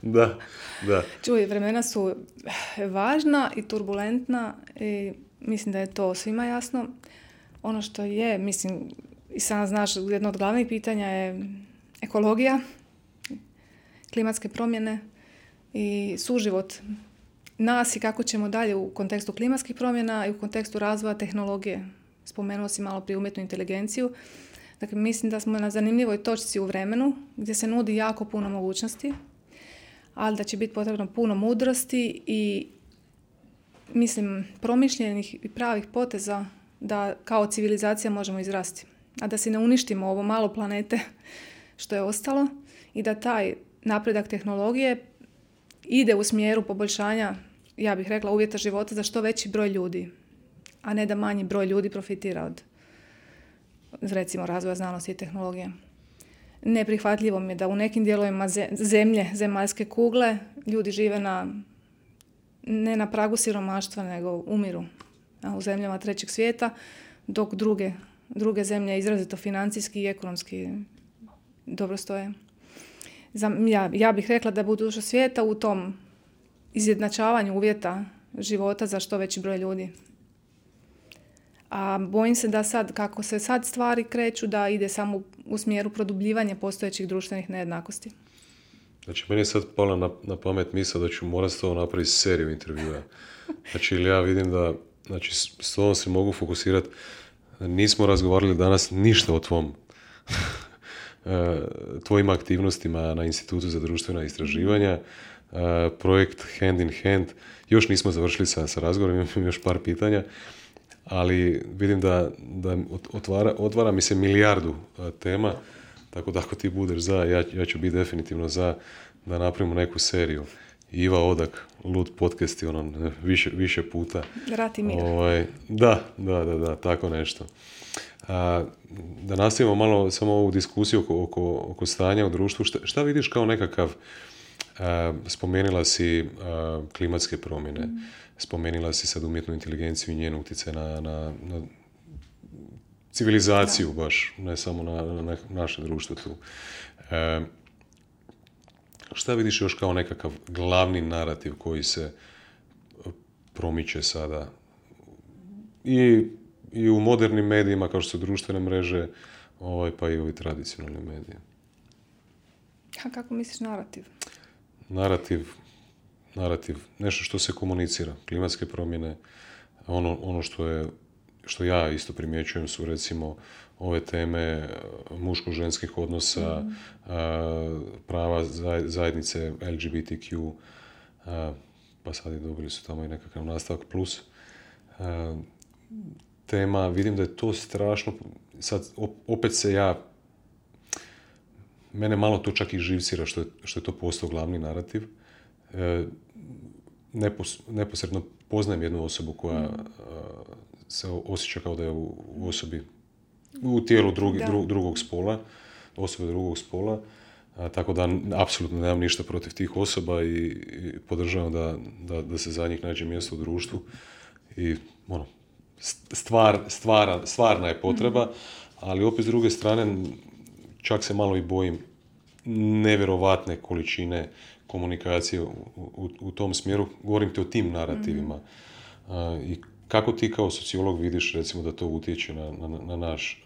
Da. Čuj, vremena su važna i turbulentna i mislim da je to svima jasno. Ono što je, mislim, i sam znaš, jedno od glavnih pitanja je ekologija, klimatske promjene i suživot nas i kako ćemo dalje u kontekstu klimatskih promjena i u kontekstu razvoja tehnologije. Spomenuo si malo prije umjetnu inteligenciju. Dakle, mislim da smo na zanimljivoj točci u vremenu gdje se nudi jako puno mogućnosti, ali da će biti potrebno puno mudrosti i, mislim, promišljenih i pravih poteza da kao civilizacija možemo izrasti. A da si ne uništimo ovo malo planete što je ostalo i da taj napredak tehnologije ide u smjeru poboljšanja, ja bih rekla, uvjeta života za što veći broj ljudi, a ne da manji broj ljudi profitira od, recimo, razvoja znanosti i tehnologije. Neprihvatljivo mi je da u nekim dijelovima zemlje, zemaljske kugle, ljudi žive ne na pragu siromaštva, nego umiru u zemljama trećeg svijeta, dok druge zemlje izrazito financijski i ekonomski dobro stoje. Ja bih rekla da budućnost svijeta u tom izjednačavanju uvjeta života za što veći broj ljudi. A bojim se da sad, kako se sad stvari kreću, da ide samo u smjeru produbljivanja postojećih društvenih nejednakosti. Znači, meni je sad pala na pamet misao da ću morati s tobom napraviti seriju intervjua. Znači, ja vidim da, znači, s tobom se mogu fokusirati. Nismo razgovarali danas ništa o tvojim aktivnostima na Institutu za društvena istraživanja, projekt Hand in Hand. Još nismo završili sa razgovorom, imam još par pitanja, ali vidim da otvara mi se milijardu tema, tako da ako ti budeš za, ja ću biti definitivno za da napravimo neku seriju. Iva Odak, Lud podcast i više puta. Rat i mir. Da, tako nešto. Da nastavimo malo samo ovu diskusiju oko stanja u društvu. Šta vidiš kao nekakav, spomenula si klimatske promjene, spomenula si sad umjetnu inteligenciju i njen utjecaj na civilizaciju baš, ne samo na naše društvo tu. Šta vidiš još kao nekakav glavni narativ koji se promiče sada i u modernim medijima kao što su društvene mreže, pa i ovi tradicionalni mediji? A kako misliš narativ? Narativ, nešto što se komunicira, klimatske promjene, ono što ja isto primjećujem su recimo ove teme muško-ženskih odnosa, prava zajednice LGBTQ, pa sad i dobili su tamo i nekakav nastavak plus. Tema, vidim da je to strašno, sad opet mene malo to čak i živcira što je to postao glavni narativ. Neposredno poznajem jednu osobu koja se osjeća kao da je u osobi, u tijelu drugog spola, osobe drugog spola, tako da apsolutno nemam ništa protiv tih osoba i podržavam da se za njih nađe mjesto u društvu i stvarna je potreba, ali opet s druge strane čak se malo i bojim nevjerovatne količine komunikacije u tom smjeru. Govorim ti o tim narativima. I kako ti kao sociolog vidiš recimo da to utječe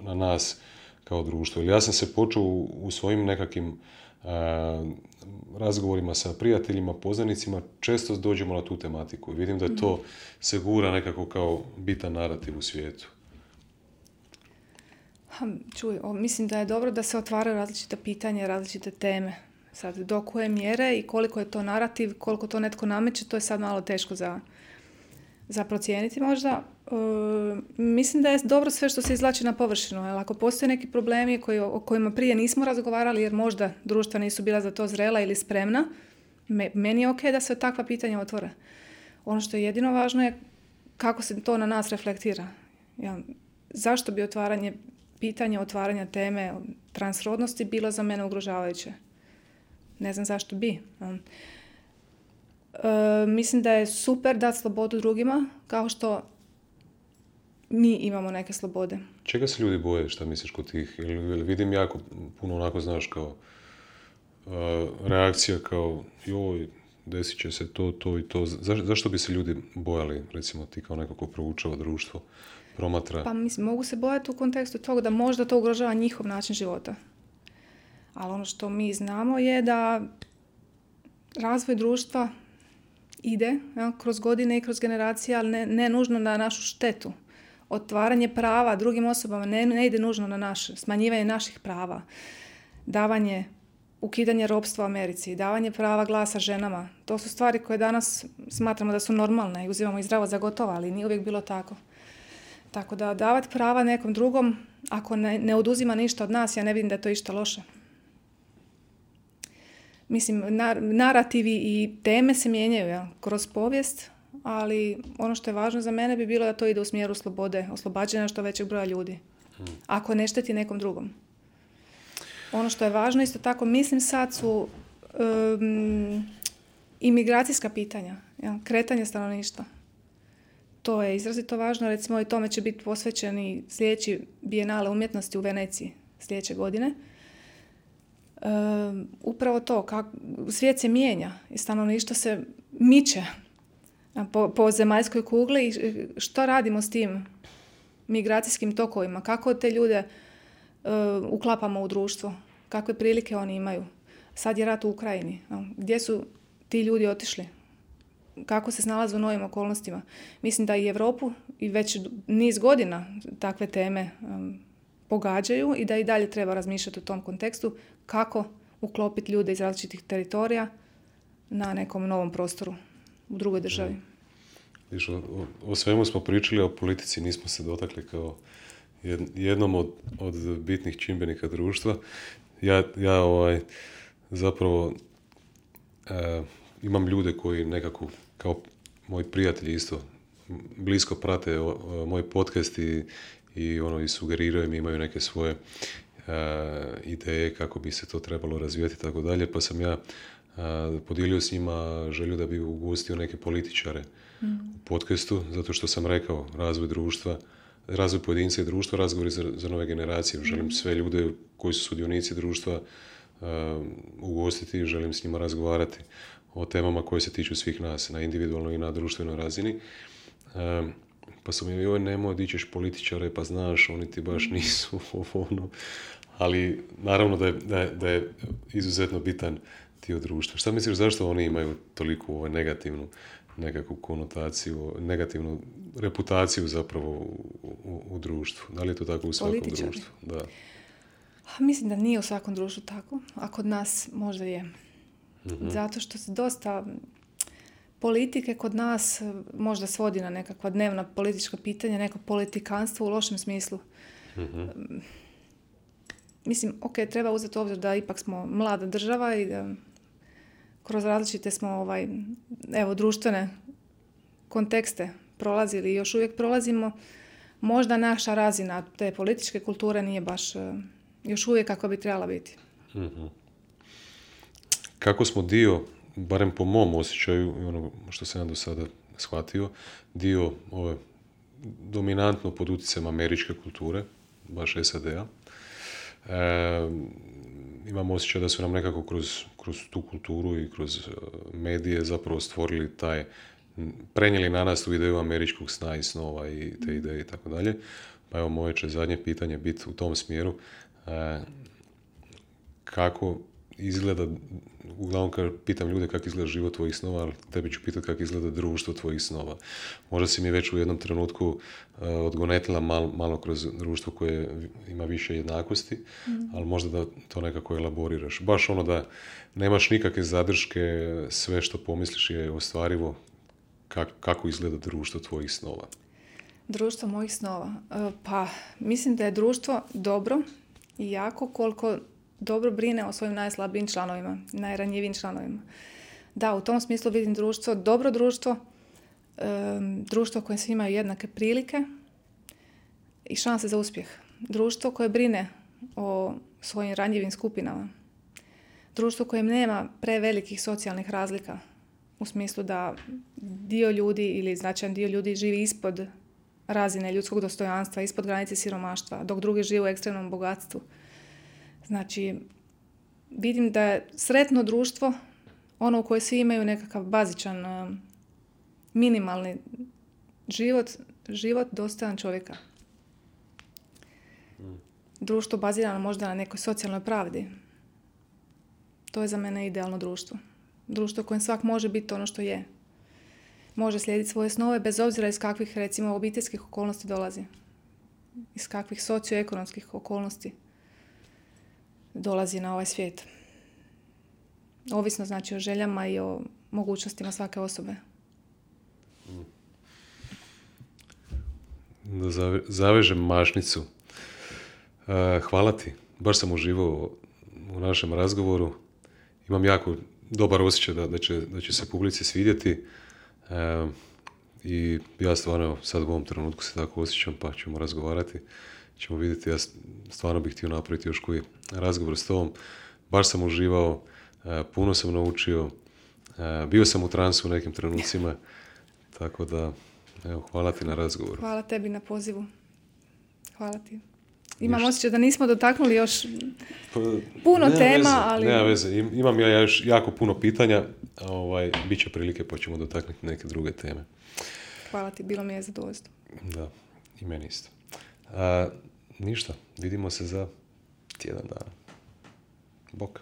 na nas kao društvo? Ja sam se počeo u svojim nekakvim razgovorima sa prijateljima, poznanicima, često dođemo na tu tematiku. Vidim da je to se gura nekako kao bitan narativ u svijetu. Čuj, mislim da je dobro da se otvaraju različita pitanja, različite teme. Sad, do koje mjere i koliko je to narativ, koliko to netko nameće, to je sad malo teško za procijeniti možda. Mislim da je dobro sve što se izvlači na površinu. Jer ako postoje neki problemi o kojima prije nismo razgovarali jer možda društva nisu bila za to zrela ili spremna, meni je ok da se takva pitanja otvore. Ono što je jedino važno je kako se to na nas reflektira. Ja, zašto bi pitanje otvaranja teme transrodnosti bilo za mene ugrožavajuće? Ne znam zašto bi. Mislim da je super dati slobodu drugima, kao što mi imamo neke slobode. Čega se ljudi boje, šta misliš kod tih? Vidim jako puno onako, znaš, kao reakcija kao joj, desit će se to i to. Zašto bi se ljudi bojali, recimo ti kao neko ko proučava društvo, promatra? Pa mislim, mogu se bojati u kontekstu toga da možda to ugrožava njihov način života. Ali ono što mi znamo je da razvoj društva ide kroz godine i kroz generacije, ali ne nužno na našu štetu. Otvaranje prava drugim osobama ne ide nužno na naše, smanjivanje naših prava, ukidanje ropstva u Americi, davanje prava glasa ženama. To su stvari koje danas smatramo da su normalne i uzimamo ih zdravo za gotovo, ali nije uvijek bilo tako. Tako da davati prava nekom drugom, ako ne oduzima ništa od nas, ja ne vidim da je to išta loše. Mislim, narativi i teme se mijenjaju kroz povijest, ali ono što je važno za mene bi bilo da to ide u smjeru slobode, oslobađanja što većeg broja ljudi. Ako ne šteti nekom drugom. Ono što je važno, isto tako, mislim sad su imigracijska pitanja, kretanje stanovništva. To je izrazito važno, recimo i tome će biti posvećeni sljedeći bijenale umjetnosti u Veneciji sljedeće godine. Upravo to, svijet se mijenja i stanovništvo se miče po zemaljskoj kugli i što radimo s tim migracijskim tokovima, kako te ljude uklapamo u društvo, kakve prilike oni imaju. Sad je rat u Ukrajini, gdje su ti ljudi otišli, kako se snalaze u novim okolnostima. Mislim da i Europu i već niz godina takve teme pogađaju i da i dalje treba razmišljati u tom kontekstu kako uklopiti ljude iz različitih teritorija na nekom novom prostoru u drugoj državi. Viš, o svemu smo pričali, o politici nismo se dotakli kao jednom od bitnih čimbenika društva. Ja zapravo imam ljude koji nekako, kao moji prijatelji isto, blisko prate moj podcast i sugeriraju mi, imaju neke svoje ideje kako bi se to trebalo razvijati i tako dalje, pa sam ja podijelio s njima želju da bi ugostio neke političare u podcastu, zato što sam rekao razvoj društva, razvoj pojedinca i društva, razgovori za nove generacije. Želim sve ljude koji su sudionici društva ugostiti, želim s njima razgovarati o temama koje se tiču svih nas na individualnoj i na društvenoj razini. Pa sam joj, nemoj di ćeš političare, pa znaš, oni ti baš nisu ono. Ali naravno da je izuzetno bitan dio društva. Šta misliš, zašto oni imaju toliko negativnu nekakvu konotaciju, negativnu reputaciju zapravo u društvu? Da li je to tako u svakom društvu? Da. Mislim da nije u svakom društvu tako, a kod nas možda je. Mm-hmm. Zato što se dosta politike kod nas možda svodi na nekakva dnevna politička pitanja, neko politikanstvo u lošem smislu. Mm-hmm. Mislim, treba uzeti u obzir da ipak smo mlada država i da kroz različite smo društvene kontekste prolazili i još uvijek prolazimo. Možda naša razina te političke kulture nije baš još uvijek kako bi trebala biti. Mm-hmm. Kako smo dio, barem po mom osjećaju i ono što sam ja do sada shvatio, dio ove dominantno pod utjecajem američke kulture, baš SAD-a, imam osjećaj da su nam nekako kroz tu kulturu i kroz medije zapravo stvorili prenijeli na nas tu ideju američkog sna i snova i te ideje i tako dalje. Pa evo, moje će zadnje pitanje biti u tom smjeru. Kako izgleda, uglavnom pitam ljude kako izgleda život tvojih snova, ali tebi ću pitati kako izgleda društvo tvojih snova. Možda si mi već u jednom trenutku odgonetila malo kroz društvo koje ima više jednakosti, ali možda da to nekako elaboriraš. Baš ono da nemaš nikakve zadrške, sve što pomisliš je ostvarivo. Kako izgleda društvo tvojih snova? Društvo mojih snova? Pa mislim da je društvo dobro i jako koliko dobro brine o svojim najslabijim članovima, najranjivijim članovima. Da, u tom smislu vidim društvo, dobro društvo, društvo koje svi imaju jednake prilike i šanse za uspjeh. Društvo koje brine o svojim ranjivim skupinama. Društvo koje nema prevelikih socijalnih razlika u smislu da dio ljudi ili značajan dio ljudi živi ispod razine ljudskog dostojanstva, ispod granice siromaštva, dok drugi žive u ekstremnom bogatstvu. Znači, vidim da je sretno društvo ono u koje svi imaju nekakav bazičan, minimalni život dostojan čovjeka. Društvo bazirano možda na nekoj socijalnoj pravdi. To je za mene idealno društvo. Društvo u kojem svak može biti ono što je. Može slijediti svoje snove bez obzira iz kakvih, recimo, obiteljskih okolnosti dolazi. Iz kakvih socioekonomskih okolnosti dolazi na ovaj svijet. Ovisno znači o željama i o mogućnostima svake osobe. Da zavežem mašnicu. Hvala ti. Baš sam uživao u našem razgovoru. Imam jako dobar osjećaj da će se publici svidjeti. I ja stvarno sad u ovom trenutku se tako osjećam, pa ćemo razgovarati. Ćemo vidjeti, ja stvarno bih htio napraviti još koji razgovor s tobom. Baš sam uživao, puno sam naučio, bio sam u transu u nekim trenucima, tako da, evo, hvala ti na razgovoru. Hvala tebi na pozivu. Hvala ti. Imam osjećaj da nismo dotaknuli još puno tema, ali... Nema veze, imam ja još jako puno pitanja, bit će prilike pa ćemo dotaknuti neke druge teme. Hvala ti, bilo mi je zadovoljstvo. Da, i meni isto. Ništa, vidimo se za tjedan dana. Bok.